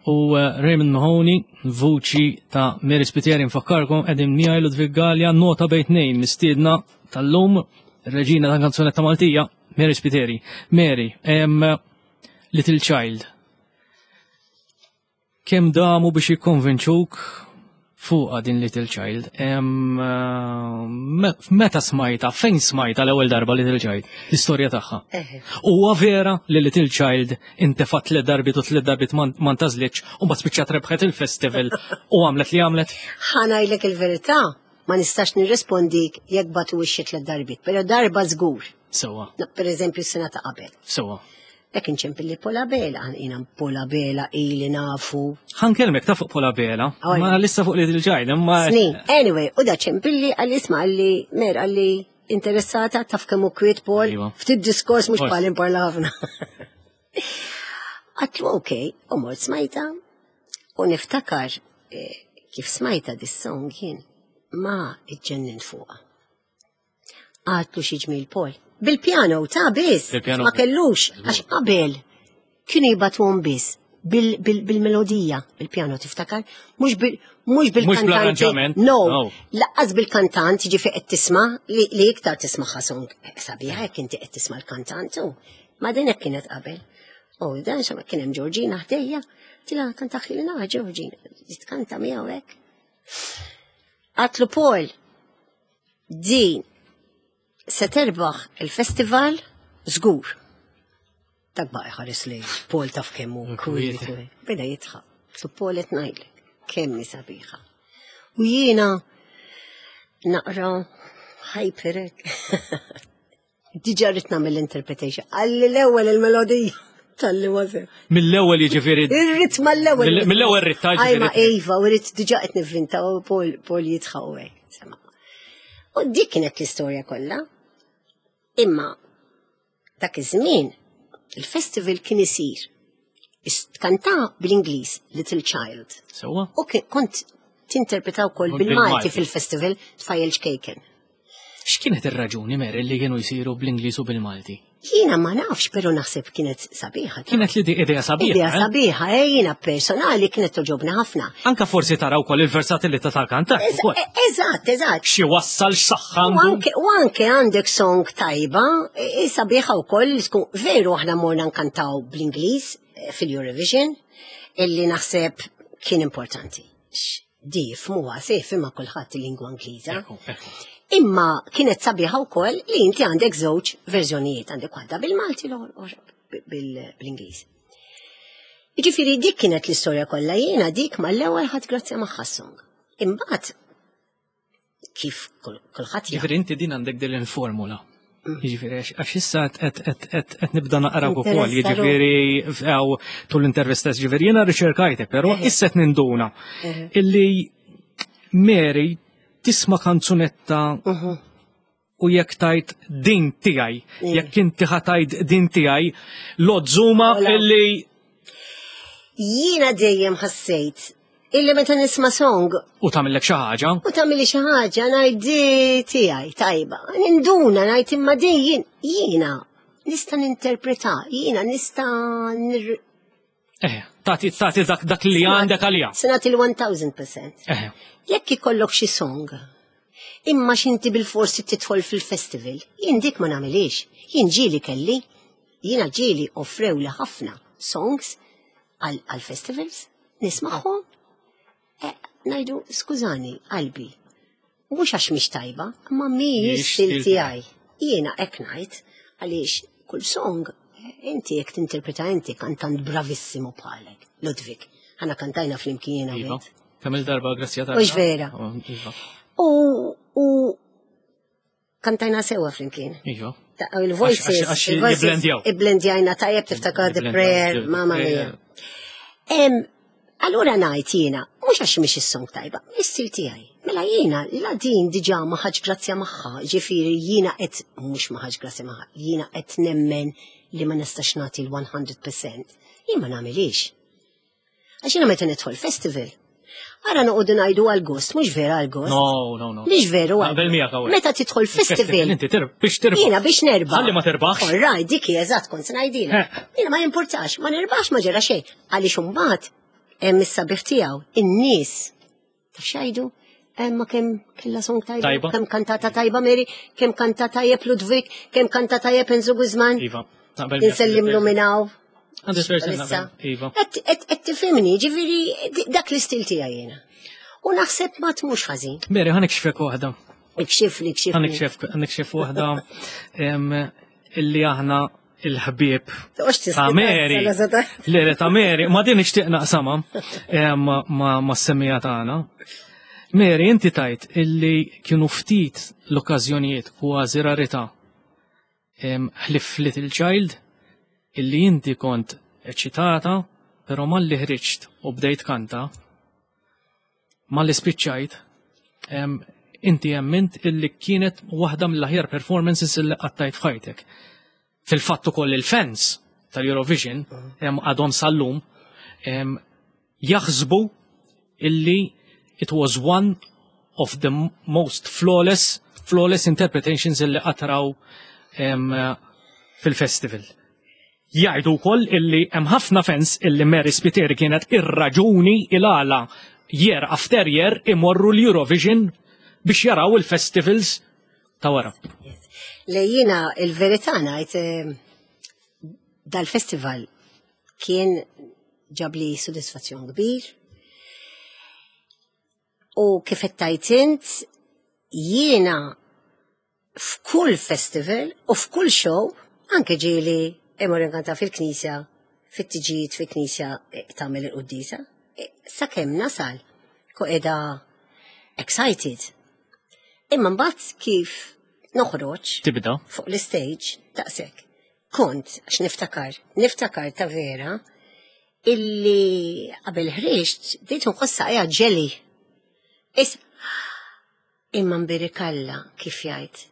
u eh, Raymond Mahoney, vuċi ta' Mary Spiteri, nfakkarkom qegħdin miegħi Ludwig Galea, nota bejn tnejn mistiedna tal-lum, reġina ta' kanzunetta Maltija, Mary Spiteri. Mary, em, Little Child. Kemm damu biex jikkonvinċuk fuqa din Little Child? Em, eh, me- meta smajta, fejn smajta l-ewwel darba Little Child? L-istorja tagħha. Eħe. Huwa vera li Little Child intefat tliet darbit u tliet darbit ma ma ntażlitx u mbagħad spiċċat rebħet il-festival u għamlet li għamlet. Ħa ngħidlek il-verità, ma nistax nirrespondik jekk bagħtu xi tliet darbit, pero darba żgur. Sewwa, Per eżempju, s-sena ta' qabel. sewwa. Dak inċempilli Paul Abela, jiena Paul Abela ili nafu. Ħa nkellmek ta' fuq Paul Abela, Għaj. ma lissa fuq Little Child, imma Snin. Anyway, u da ċempilli għalli isma' għalli mer għalli interessata taf kemm hu kwiet Paul, Iva. ftit diskors mhux Forsi. bħal imparla ħafna. Għedtlu ok, u mort smajta, U niftakar eh, kif smajta dis-song jien ma iġġennint fuqha. Għedtlu xi ġmiel, Paul. Bil-piano ta' biss. Bil-piano. Ma kellux, għax qabel kienu jibagħtuhom biss bil- bil- bil-melodija, bil-piano tiftakar, mhux bil mhux bil-kantanti. Bl-arranġament. No, No. lanqas bil-kantant, ġifieri qed tisma' li, li iktar tisma' song sabiħa jekk inti qed tisma' l-kantant u. Ma din hekk kienet qabel. U dan xama kien hemm Georgina ħdejja, tila kanta ħilna Georgina, tkanta miegħu hekk. Għedtlu, "Paul, din se terbaħ il-festival żgur." Dak baqa' ħares li Paul taf kemm hu Kwiet. kwiet. Beda jidħak. Għedtlu, "Paul, qed ngħidlek, kemm hi sabiħa." U jiena naqra hyper hekk. Diġà rrid nagħmel interpretation. Għalli l-ewwel il-melodija tal-li wasel. Mill-ewwel jiġifieri. Ir-ritma l-ewwel. Mill- Mill-ewwel ritta Ajma ġifieri. Iva, u rrid diġà qed nivvinta u Paul Paul jidħaq u hekk. Insomma. U dik kienet l-istorja kollha. Imma dak iż-żmien il-festival kien isir. Kanta bil-Ingliż Little Child. Sewwa? U kien- kont tinterpreta wkoll Bil-Malti. bil-Malti fil-festival Tfajjel Ċkejken. X'kienet ir-raġuni, Mary, li kienu jsiru bl-Ingliż u bil-Malti? Jiena ma nafx, pero naħseb kienet sabiħa. Kienet li di idea sabiħa. Idea eh? sabiħa, eh, jiena personali kienet togħġobni ħafna. Anka forsi taraw ukoll il-versatilità tal-kantant ukoll. Eżatt, eżatt. Xi wassal x'saħħa U għandu. anke, u anke għandek song tajba, e- e sabiħa u koll, tkun veru aħna morna nkantaw bl-Ingliż eh, fil-Eurovision, illi naħseb kien importanti. X- Di fmuha sef imma kulħadd il-lingwa Ingliża. Ekku, ekku. Imma kienet sabiħa wkoll li inti għandek żewġ verżjonijiet, għandek waħda bil-Malti l-oħra bil- bil-Ingliż. Jiġifieri dik kienet l-istorja kollha, jiena dik mal-ewwel ħadt grazzja magħha song. Imbagħad kif kull- kulħadd jaf. Ġifieri inti din għandek din il-formula. Jiġifieri għax għax issa qed qed qed qed nibda naqra ukoll, Interessa jiġifieri għaw tul l-intervista, ġifieri jiena riċerkajtek, però issa qed ninduna illi Mary tisma' kanzunetta u jekk tajt din tiegħi, jekk inti ħa tgħid din tiegħi, l-ozzuma Ola. illi Jiena dejjem ħassejt illi meta nisma' song u tagħmellek xi ħaġa, u tagħmilli xi ħaġa ngħid di tiegħi tajba. Ninduna ngħid imma din jien jiena nista' ninterpreta, jiena nista' nir eh, tagħti tagħti dak dak li għandek għalija. Se nagħti l-elf fil-mija. Eh, Jekk ikollok xi song, imma x'inti bil-forsi tidħol fil-festival, jien dik ma nagħmilix. Jien ġieli kelli, jiena ġieli offrew li ħafna songs għal għal festivals, nismagħhom. Eh, ngħidu, skużani, qalbi, mhux għax mhix tajba, imma mhijiex Mhijiex stil stil tiegħi. Jiena hekk ngħid għaliex kull song eh, inti jekk tinterpreta inti kantant bravissimo bħalek, Ludwig. Aħna kantajna flimkien jiena u Iva. int. Kemm il-darba grazzja ta' Mhux vera. Iva. U, u kantajna sewa flimkien. Iva. Ta' il-voices, Għax- għax il-voices jibblendjaw. Ibblendjajna tajjeb, tiftakar The Jibblendjaw, Prayer, The mamma Prayer. mia. Em, allura ngħid jiena, mhux għax mhix is-song tajba, is-stil tiegħi. Mela jiena la din diġà ma ħadx grazzja magħha, ġifieri jiena qed mhux ma ħadx grazzja magħha, jiena qed nemmen li ma nistax nagħti l-mija fil-mija. Jien ma nagħmilix. Għax jiena meta nidħol festival, ara noqogħdu ngħidu għal-gost, mhux vera għal-gost. No, no, no. Mhix veru għal. Naqbel miegħek hawnhekk. Meta tidħol festival, Inti tir biex tirbaħ. Jiena biex nerbaħ. Ħalli ma terbaħx. All right, dik hi eżatt kont se ngħidilha. Eh. Jiena ma jimpurtax, ma nirbaħx ma ġara xejn. Għaliex imbagħad hemm is-sabiħ tiegħu, in-nies. Taf x'jgħidu? Emma kemm kellha song tajba, Tajba. kemm kantata tajba Mary, kemm kanta tajjeb Ludwig, kemm kanta tajjeb Enzo Guzman. Iva. Naqbel miegħek. Insellimlu minn hawn. Għandi percent Issa. naqbel. Iva. Et et et tifhimni, ġifieri di- dak l-istil tiegħi jiena. U naħseb ma tmux ħażin. Mary, ħa nikxfek waħda. Ikxifli, ikxifli. Ħa nikxef ħa nikxef waħda em, illi aħna il-ħbieb Toqgħodx ta' Mary. Le, le, ta' Mary, ma din nixtieq naqsamha em, ma ma ma s-semmija tagħna. Mary, inti tajt illi kienu ftit l-okkażjonijiet, kważi rarità, em, ħlif Little Child, illi inti kont eċitata, pero malli ħriġt u bdejt kanta, malli spiċċajt, em, inti emmint illi kienet waħda mill-aħjar performances illi qattajt f'ħajtek. Fil-fatt ukoll il-fans tal-Eurovision em, għadhom sal-lum em, Jaħsbu illi it was one of the most flawless flawless interpretations illi qatraw em, fil-festival. Jgħidu wkoll illi hemm ħafna fans illi Mary Spiteri kienet ir-raġuni il-għala year after year imorru l-Eurovision biex jaraw il-festivals ta' wara. Yes. Le jiena il-verità ngħid eh, dal-festival kien ġabli sodisfazzjon kbir. U kif qed tgħid int, jiena f'kull festival u f'kull show, anke ġieli immur inkanta fil-knisja, fit-tiġijiet fil-knisja eh, tagħmel il-quddisa, eh, sakemm nasal ko qiegħda excited. Imma mbagħad kif noħroġ Tibda. fuq l-stage daqshekk. Kont, għax niftakar, niftakar ta' vera, illi qabel ħriġt bdejt nħoss saqajja ġeli. Is imma mbirikalla kif jgħid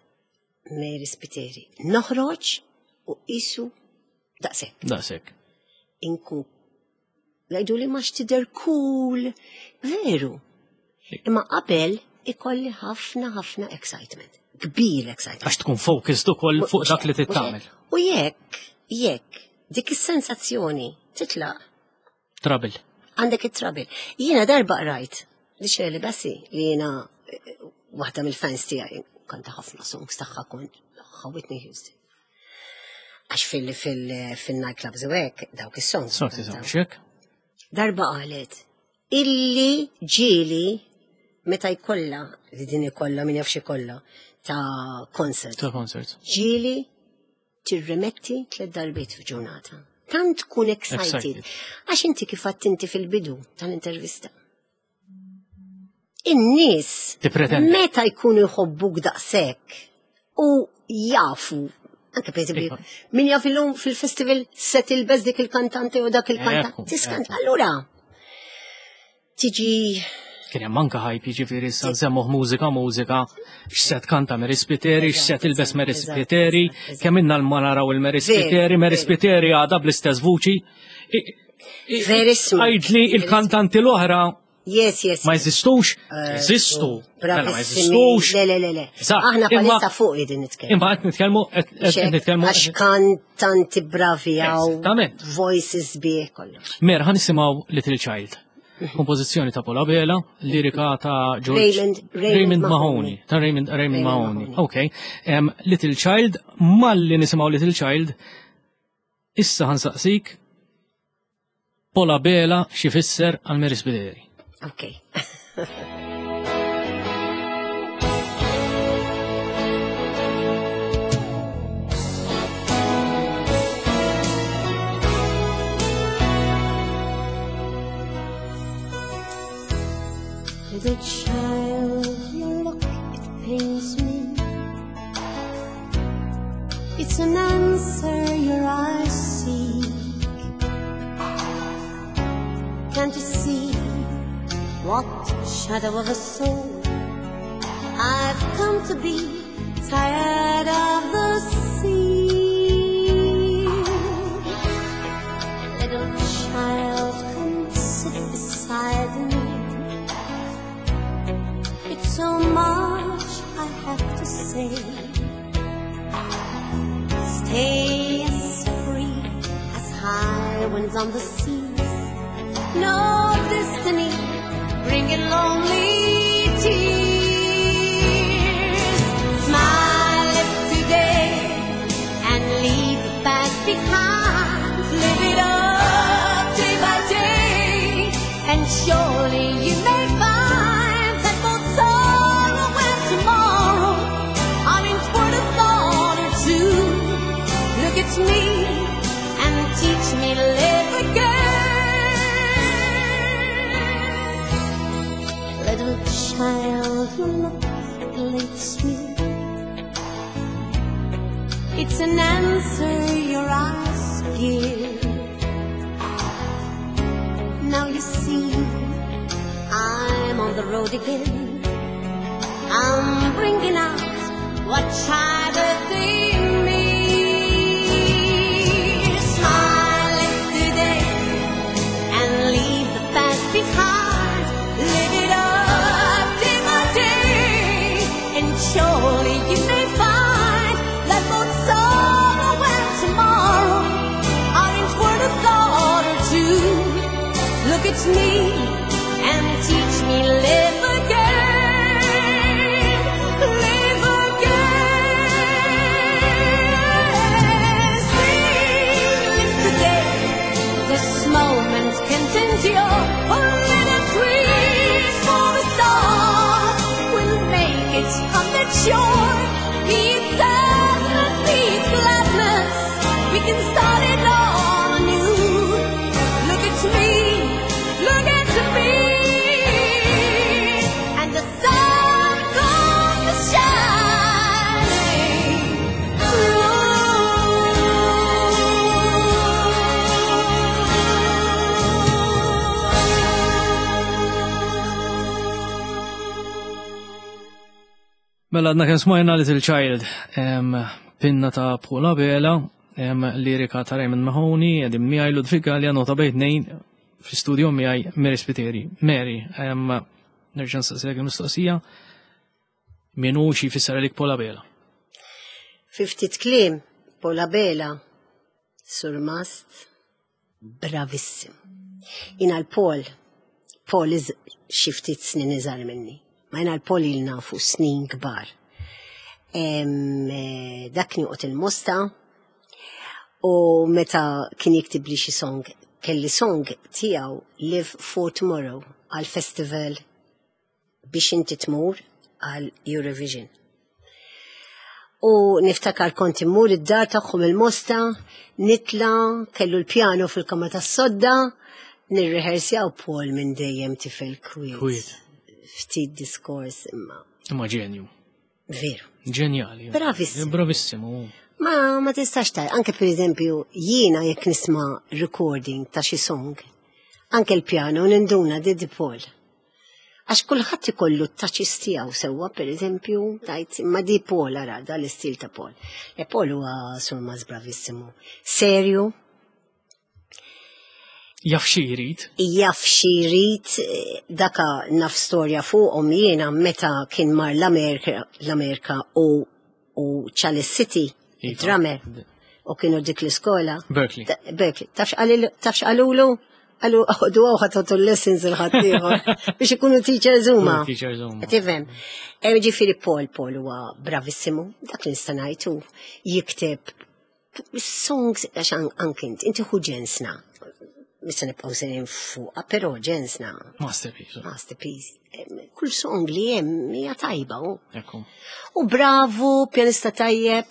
Mary Spiteri. Noħroġ u qisu daqshekk. Daqshekk. Inkun jgħidu li ma tidher cool. Veru. Imma qabel ikolli ħafna ħafna excitement. Kbir excitement. Għax tkun focused ukoll fuq dak li tittamel. U jekk, jekk, dik is-sensazzjoni titlaq, Trouble. għandek it-trouble. Jiena darba qrajt li Shirley Bassey li jiena eh, waħda mill-fans tiegħi kanta ħafna songs tagħha kont Whitney Houston. Għax fil fil fil-nightclubs u hekk dawk is-songs. Sorti kantaw. xek. Darba qalet illi ġieli meta jkollha li din ikollha min jafx ikollha ta' concert. Ta' concert. Ġieli tirremetti tliet darbiet f'ġurnata. Tant tkun excited. Excited. Għax inti kif inti fil-bidu tal-intervista. In-nies Tippretendi. meta jkunu jħobbuk daqshekk u jafu anke per eżempju, Iva. min jaf illum fil-festival se tilbes dik il-kantante u dak Ekku, il-kantante. Tiskant, ekku. allura tiġi Kien hemm anke hype jiġifieri issa nsemmuh mużika mużika, x'se tkanta Mary Spiteri, x'se tilbes Mary Eżatt, Spiteri, eżatt, eżatt. kemm inna ma naraw il-Mary Veru, Spiteri, Mary veru. Spiteri għadha bl-istess vuċi. I- i- Verissimo. Għidli il-kantanti l-oħra Yes, yes. ma jeżistux, Eh, jeżistu. Mela ma Bravissimi. jeżistux. Le, le, le, le. Eżatt, Aħna imma- palissa fuq qegħdin nitkellmu. Imma qed nitkellmu qed qed nitkellmu Għax kantanti bravi għaw, Eżattament. voices bieħ kollox. Mer, ħa nisimgħu Little Child. Kompożizzjoni ta' Paul Abela, lirika ta' George Raymond- Raymond Mahoney. Mahoney. Ta' Raymond, Raymond Raymond Mahoney. Mahoney. Ok. Em, Little Child, malli nisimgħu Little Child, issa ħa nsaqsik Paul Abela x'ifisser għal Mary Spiteri. Ok. Little child, your look, it pains me. It's an answer your eyes seek. Can't you see what shadow of a soul I've come to be? Tired of the sea. Little child, come sit beside me. It's so much I have to say. Stay as free as high winds on the seas. No destiny bringing lonely tears. Smile at today and leave the past behind. Live it up day by day, and surely you may find that both sorrow and tomorrow are in for a thought or two. Look at me and teach me to live again. Little child, your look elates me. It's an answer your eyes give. Now you see, I'm on the road again. I'm bringing out what child in me. Smile at today and leave the past me and teach me live again, live again. Sing, live today. This moment can't endure. Only the wish for the star will make it on the shore. Be it sadness, be it gladness, we can start it all anew. Look at me, look at me, and the sun comes shining through. Mela għadna kemm smajna Little Child, em, pinna ta' Paul Abela, em, lirika ta' Raymond Mahoney, qegħdin miegħi Ludwig Galea, nota bejn tnejn fi studio miegħi Mary Spiteri. Mary, em, nerġa' nsaqsilek il-mistoqsija, min hu xi jfisser għalik Paul Abela? Fi ftit kliem, Paul Abela, surmast, bravissim. Jiena l-Paul, Paul is xi ftit snin iżgħar minni. Ma jiena l-Paul ilna nafu snin kbar. Em, eh, Dak kien joqgħod il-Mosta u meta kien jiktib li xi song, kelli song tiegħu Live for Tomorrow għal festival biex inti tmur għal Eurovision. U niftakar kont immur id-dar tagħhom il-Mosta, nitla, kellu l-pjano fil-kamra tas-sodda, nirrehersjaw Paul minn dejjem tifel kwiet. Kwiet. Ftit diskors imma Imma ġenju. veru. Ġenjali. Bravissimu. Bravissimu. Ma ma tistax taj, anke per eżempju jiena jekk nisma' recording ta' xi song, anke l-pjano ninduna di di Paul. Għax kulħadd ikollu t-touches tiegħu sewwa, per eżempju, tajt imma di Paul ara da l-istil ta' Paul. E Paul huwa surmast bravissimu. Serju, Jaf xi jrid. jaf xi jrid, eh, daka naf storja fuqhom jiena meta kien mar l-Amerika l-Amerika u u Chalice City, Iva. drummer, u kienu dik l-iskola. Berkeley. Ta- Berkeley. Tafx qalil- tafx qalulu? Qalu ħodu għaw ħatatu l-lessons il-ħaddieħor biex ikunu teachers huma. Teachers huma. Tifhem. E, Ġifieri Paul, Paul huwa bravissimu, dak li nista' ngħid hu jikteb songs għax an- anke inti, inti ħu ġensna. Mista nibqgħu sejrin fuqha, però ġensna Masterpiece. masterpiece. Em, Kull song li hemm hija tajba hu. Ekku. U bravu, pjanista tajjeb,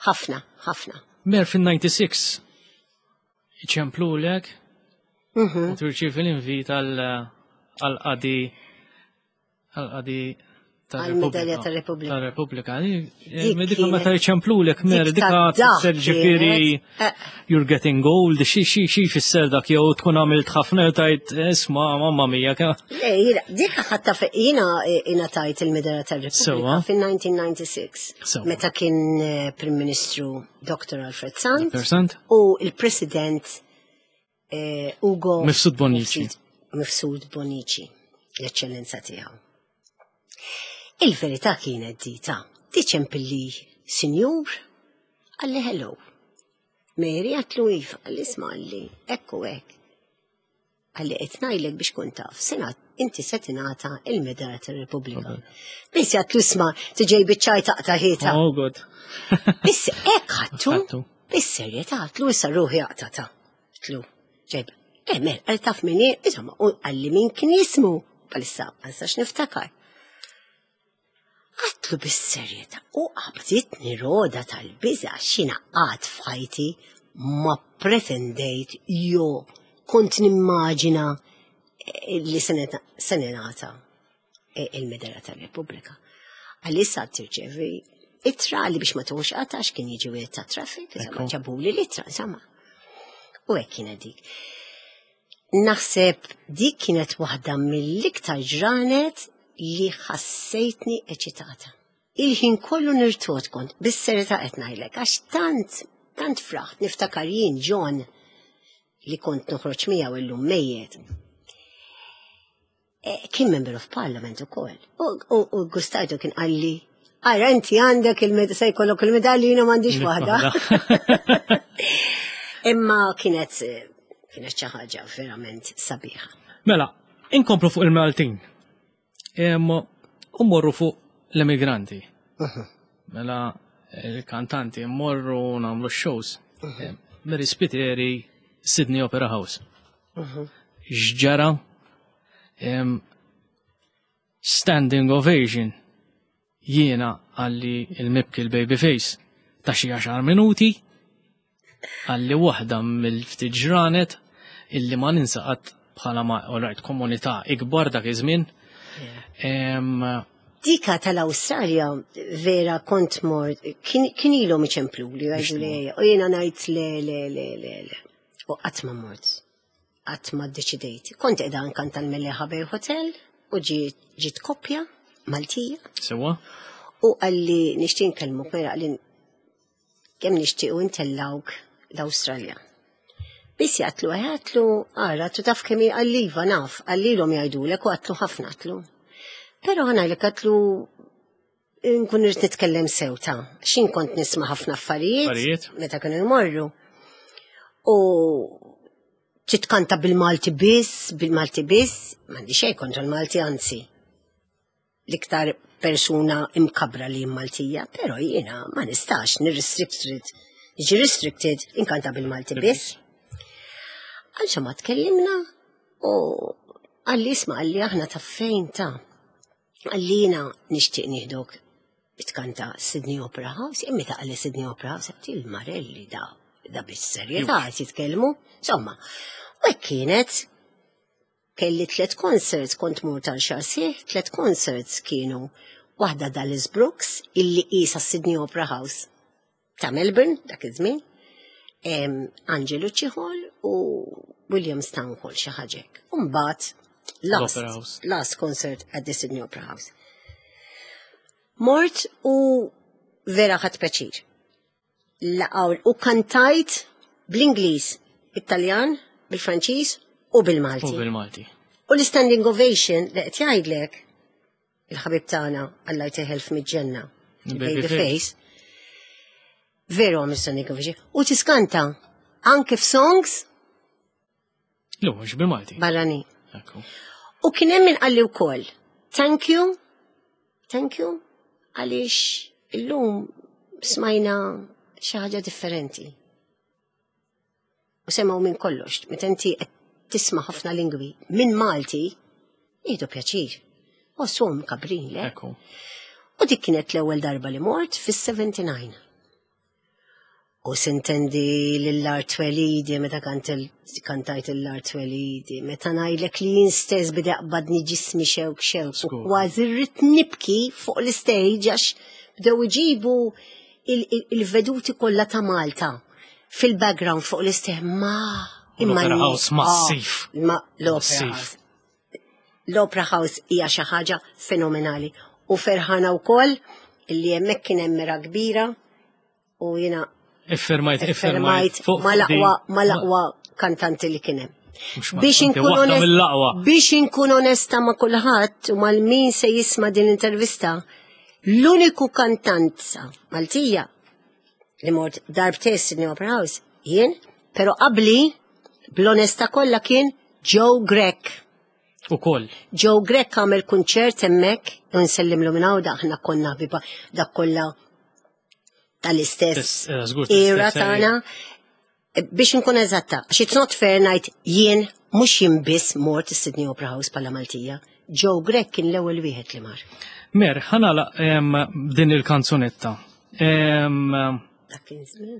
ħafna, ħafna. Mer fin-disgħa u disgħin iċemplulek Mhm. u tirċievi l-invit għal-qadi għal-qadi Għal-medalja tar-Repubblika. Tar-Repubblika. Dik Dika meta kienet- iċemplulek mer, dik dika ta' dak tfisser ġifieri kienet, eh. you're getting old, xi xi xi jfisser dak jew tkun għamilt ħafna jew tajt isma' mamma mia. ke- Le, jiena, dik ħatta jiena ingħatajt il-medalja tar-Repubblika Sewwa. fin-elf disa' mija u disgħa u disgħin. Sewwa. Meta kien eh, Prim Ministru Dottor Alfred Sant Dottor Sant. u il-President eh, Ugo Mifsud Bonnici. Mifsud- Mifsud Bonnici, l-eċċellenza tiegħu. Il-verità kienet dita, diċempilli sinjur, qalli hello. Mary għedtlu iva, qalli isma' qalli, ekku hekk. Qalli qed ngħidlek biex kun taf, sena inti se tingħata il-medalja tar-Repubblika. Biss għedtlu isma' tiġej biċ-ċajt taqta' ħieta. Oh god. Biss hekk ħadtu, Ħadtu. bis-serjetà għedtlu issa ruħi aqtata. Għedtlu, ġejb, eh mer, għal taf min hi, insomma, u qalli min kien jismu, palissa, ma nistax niftakar. Għedtlu bis-serjetà u qabditni roda tal-biża' x'jiena qatt f'ħajti ma pretendejt jo kont nimmaġina eh, li se ningħata eh, il-medalja tar-Repubblika. Għalissa tirċevi ittra li biex ma tuħux għatax kien jiġi wieħed ta' traffic, insomma, Ekku. ġabuli l-ittra, insomma. U hekk kienet dik. Naħseb dik kienet waħda mill-iktar ġranet li ħassejtni eċitata. Il-ħin kollu nirtot kont, bis-serjetà qed ngħidlek, għax tant, tant fraħt niftakar jien John li kont noħroġ miegħu illum mejjet. Eh, Kien member of parliament ukoll. U, u, u gustajtu kien qalli, ara inti għandek il-med se jkollok il-medalji jiena m'għandix waħda. Imma kienet eh, kienet xi ħaġa verament sabiħa. Mela, inkomplu fuq il-Maltin. Em, U mmorru fuq l-emigranti. Mela, il-kantanti mmorru nagħmlu shows. Em, Mary Spiteri, Sydney Opera House. X'ġara? Em, Standing ovation. Jiena għalli il-mibki l-babyface ta' xi għaxar minuti għalli waħda mill-ftit ġranet illi ma ninsa qatt bħala ma alright komunità ikbar dak iż-żmien. Em, Dika tal-Awstralja vera kont mort, kien kien ilhom iċemplu li għajdu li u jiena ngħid le le le le le. U qatt ma mort. Qatt ma ddeċidejt. Kont qiegħda nkanta l-Mellieħa Bay Hotel u ġiet ġiet koppja Maltija Sewwa? u qalli nixtieq nkellmuk mera qalli kemm nixtiequ intellawk l-Awstralja. Biss għedtlu, għedtlu, ara, tu taf kemm qalli iva naf, qallilhom jgħidulek u għedtlu ħafna għedtlu. Pero ħa ngħidlek għedtlu nkun irrid nitkellem sew ta' xin kont nisma' ħafna affarijiet Affarijiet. meta kienu jmorru. U titkanta bil-Malti biss, bil-Malti biss, m'għandi xejn kontra l-Malti anzi. L-iktar persuna imkabra li Maltija, pero jiena ma nistax nirrestricted, niġi restricted inkanta bil-Malti biss. Għalxa ma tkellimna u qalli isma' qalli aħna ta' fejn ta' għallina nixtieq nieħduk tkanta Sydney Opera House, imma ta' qalli Sydney Opera House, għedt il-Marelli da, da bis-serjetà qed jitkellmu. Insomma, u hekk kienet kelli tlet concerts, kont mur tal-xahar sħiħ, tlet concerts kienu waħda Dallas Brooks, illi qisha Sydney Opera House ta' Melbourne, dak iż-żmien, em, Angelucci Hall u Williamstown Hall xi ħaġa hekk. U mbagħad last, L-Opera House. last concert at the Sydney Opera House. Mort u vera ħadt pjaċir. Laqaw u kantajt bl-Ingliż, Italjan, bil-Franċiż u bil-Malti. U bil-Malti. U l-standing ovation li qed jgħidlek il-ħabib tagħna Alla jtih elf mill-ġenna, Baby il-baby face, veru għamel standing ovation. U tiskanta anke f'songs Lu, mhux bil-Malti. barrani. Ekku. U kien hemm min qalli wkoll, thank you, thank you, għaliex illum smajna xi ħaġa differenti. U semgħu minn kollox, meta inti qed tisma' ħafna lingwi minn Malti, jieħdu pjaċir. U sum kabrin, le? Ekku. U dik kienet l-ewwel darba li mort fis-sebgħa u sebgħin. U sintendi l-Art Twelidi, meta kant- kantajt l-Art Twelidi, meta ngħidlek li jien stess bida qbadni ġismi xewk xewk, u Skur. kważi rrid nibki fuq l-stage għax bdew iġibu il- il- il-veduti kollha ta' Malta fil-background fuq l-stage ma imma L-Opera n- House massiv. Ah, Ma l-Opera Massiv. House. L-Opera House hija xi ħaġa fenomenali u ferħana wkoll illi hemmhekk kien hemm mera kbira u jiena Iffirmajt, iffirmajt. iffirmajt Fuq mal-aqwa di- mal-aqwa kantanti li kien hemm. Mhux ma- Biex anke inkun waħda onest- mill-aqwa. biex inkun onesta ma' kulħadd u mal-min se jisma' din l-intervista, l-uniku kantanza Maltija li mort darbtejn Sydney Opera House jien, pero qabli bl-onesta kollha kien Joe Grech. U koll. Joe Grech għamel kunċert hemmhekk u nsellimlu minn hawn aħna konna ħbiba dak kollha tal-istess Tis- eh, żgur, era tal-istess tagħna. Biex nkun eżatta, għax it's not fair ngħid jien mhux jien biss mort is-Sydney Opera House bħala Maltija. Joe Grech kien l-ewwel wieħed li mar. Mer, ħa nagħlaq em, din il-kanzunetta. Em, Dak kien żmien.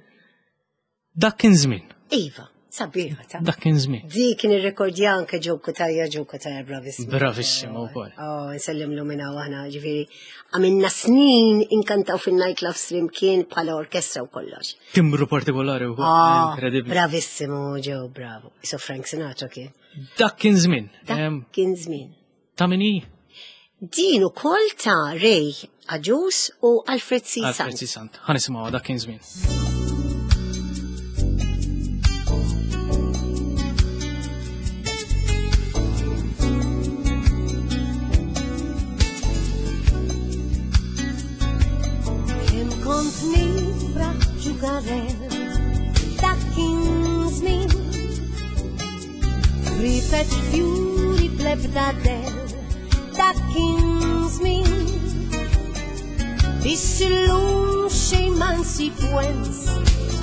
Dak kien żmien. Iva, sabiħa ta' Dak kien żmien. Di kien irrekordja anke Joe Cutajar, Joe Cutajar bravissimo. Bravissimo wkoll. Oh, nsellimlu minn hawn aħna, ġifieri, għamilna snin inkantaw fin-nightclubs flimkien bħala orkestra u kollox. Timbru partikolari wkoll. Ah, Incredibli. bravissimo Joe, bravo. So Frank Sinatra kien. Dak kien żmien. Dak Em, kien żmien. Ta' min hi? Din ukoll ta' Ray Agius u Alfred C. Alfred Sant. C. Sant. Ħa nisimgħu dak kien żmien. Kemm kont nifraħ ġugarel dak kien żmien. Rifet fjuri. l-ebda del dak kien żmien. Biss illum xejn ma nsib wens,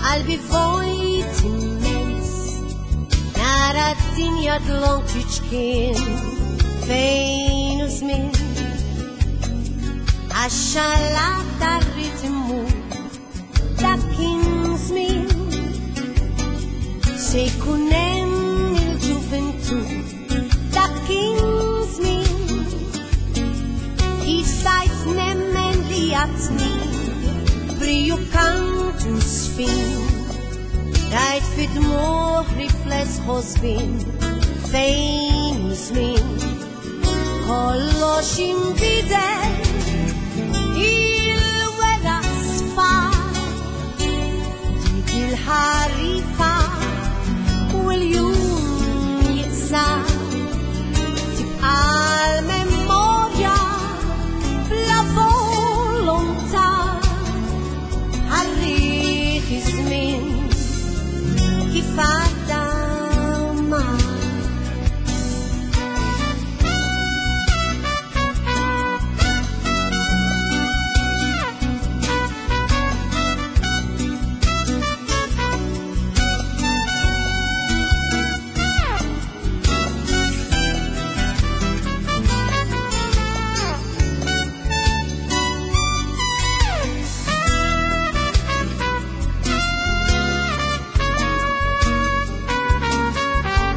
qalbi vojt immens. Nara d-dinja dlonk tiċkien fejn u żmien. Għax-xalat tar-ritmu dak kien żmien. Se jkun hemm il-ġuventu dak kien żmien. Kif stajt nemmen li għatni briju kantu sfin. Rajt fid-dmugħ rifless ħosbin fejn u żmien. Kollox inbidel, il-weraq sfar, dik il-ħarifa u l-jum jiqsar. Tibqa' l-memorja bla volontà, ħarriħ iż-żmien kif għadda mar.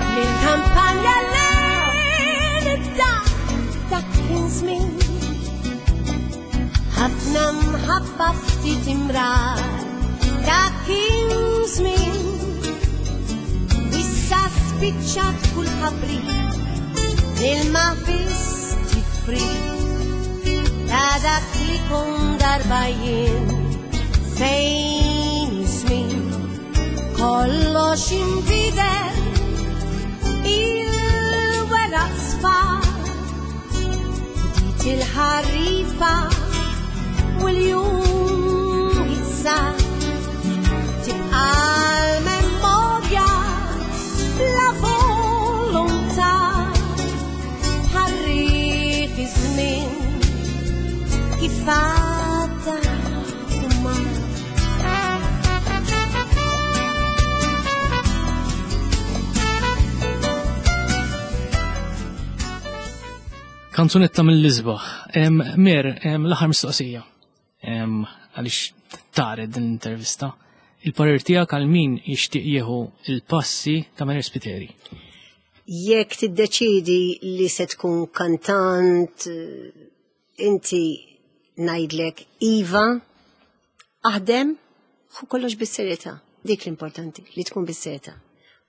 Mill-kampanja lejn id-dar dak kien żmien. Ħafna mħabba ftit imrar dak kien żmien. Issa spiċċat kull ħabri, l-ilma biss tifri. Ta' dak li kun darba jien fejn iż-żmien. Kollox inbidel, il-weraq sfar, bdiet il-ħarifa u l-jum jiqsar. Tibqa' l-memorja bla volontà, ħarriħ iż-żmien kif għadda u mar. Kanzunetta mill-isbaħ. Em, Mer, em, l-aħħar mistoqsija. Em, għaliex tared din l-intervista. Il-parir tiegħek għal min jixtieq jieħu il-passi ta' Mary Spiteri. Jekk tiddeċidi li se tkun kantant, inti ngħidlek iva, aħdem, ħu kollox bis-serjetà. Dik l-importanti, li tkun bis-serjetà.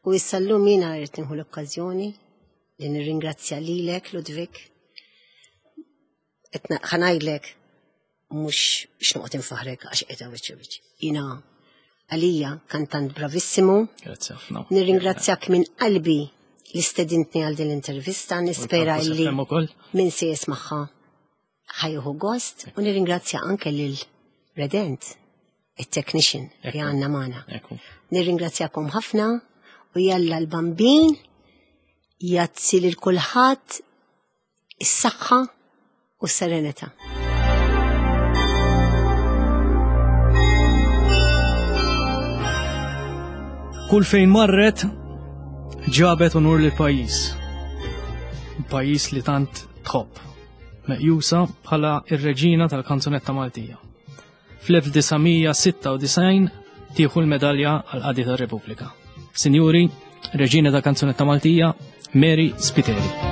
U issa llum jiena rrid nieħu l-okkażjoni li nirringrazzja lilek, Ludwig. Qed ħa ngħidlek mhux biex noqgħod infaħrek għax qiegħda wiċċ wiċċ. Jiena għalija kantant bravissimu. Grazzi ħafna. Nirringrazzjak minn qalbi li stedintni għal din l-intervista, nispera U l-Campus li F M ukoll. min se jismagħha ħajjuħu gost, u nirringrazzja anke lil Redent, it-technician li Ekku. għandna magħna. Ekku. Nirringrazzjakom ħafna u jalla l-Bambin jazzi lil kulħadd is-saħħa u s-serenità. Kull fejn marret ġabet unur lil pajjiż. Pajjiż li tant tħobb, meqjusa bħala ir-reġina tal-kanzunetta Maltija. Fl-elf disa' mija sitta u disgħin tieħu l-medalja għal qadi tar-Repubblika. Sinjuri, reġina tal-kanzunetta Maltija, Mary Spiteri.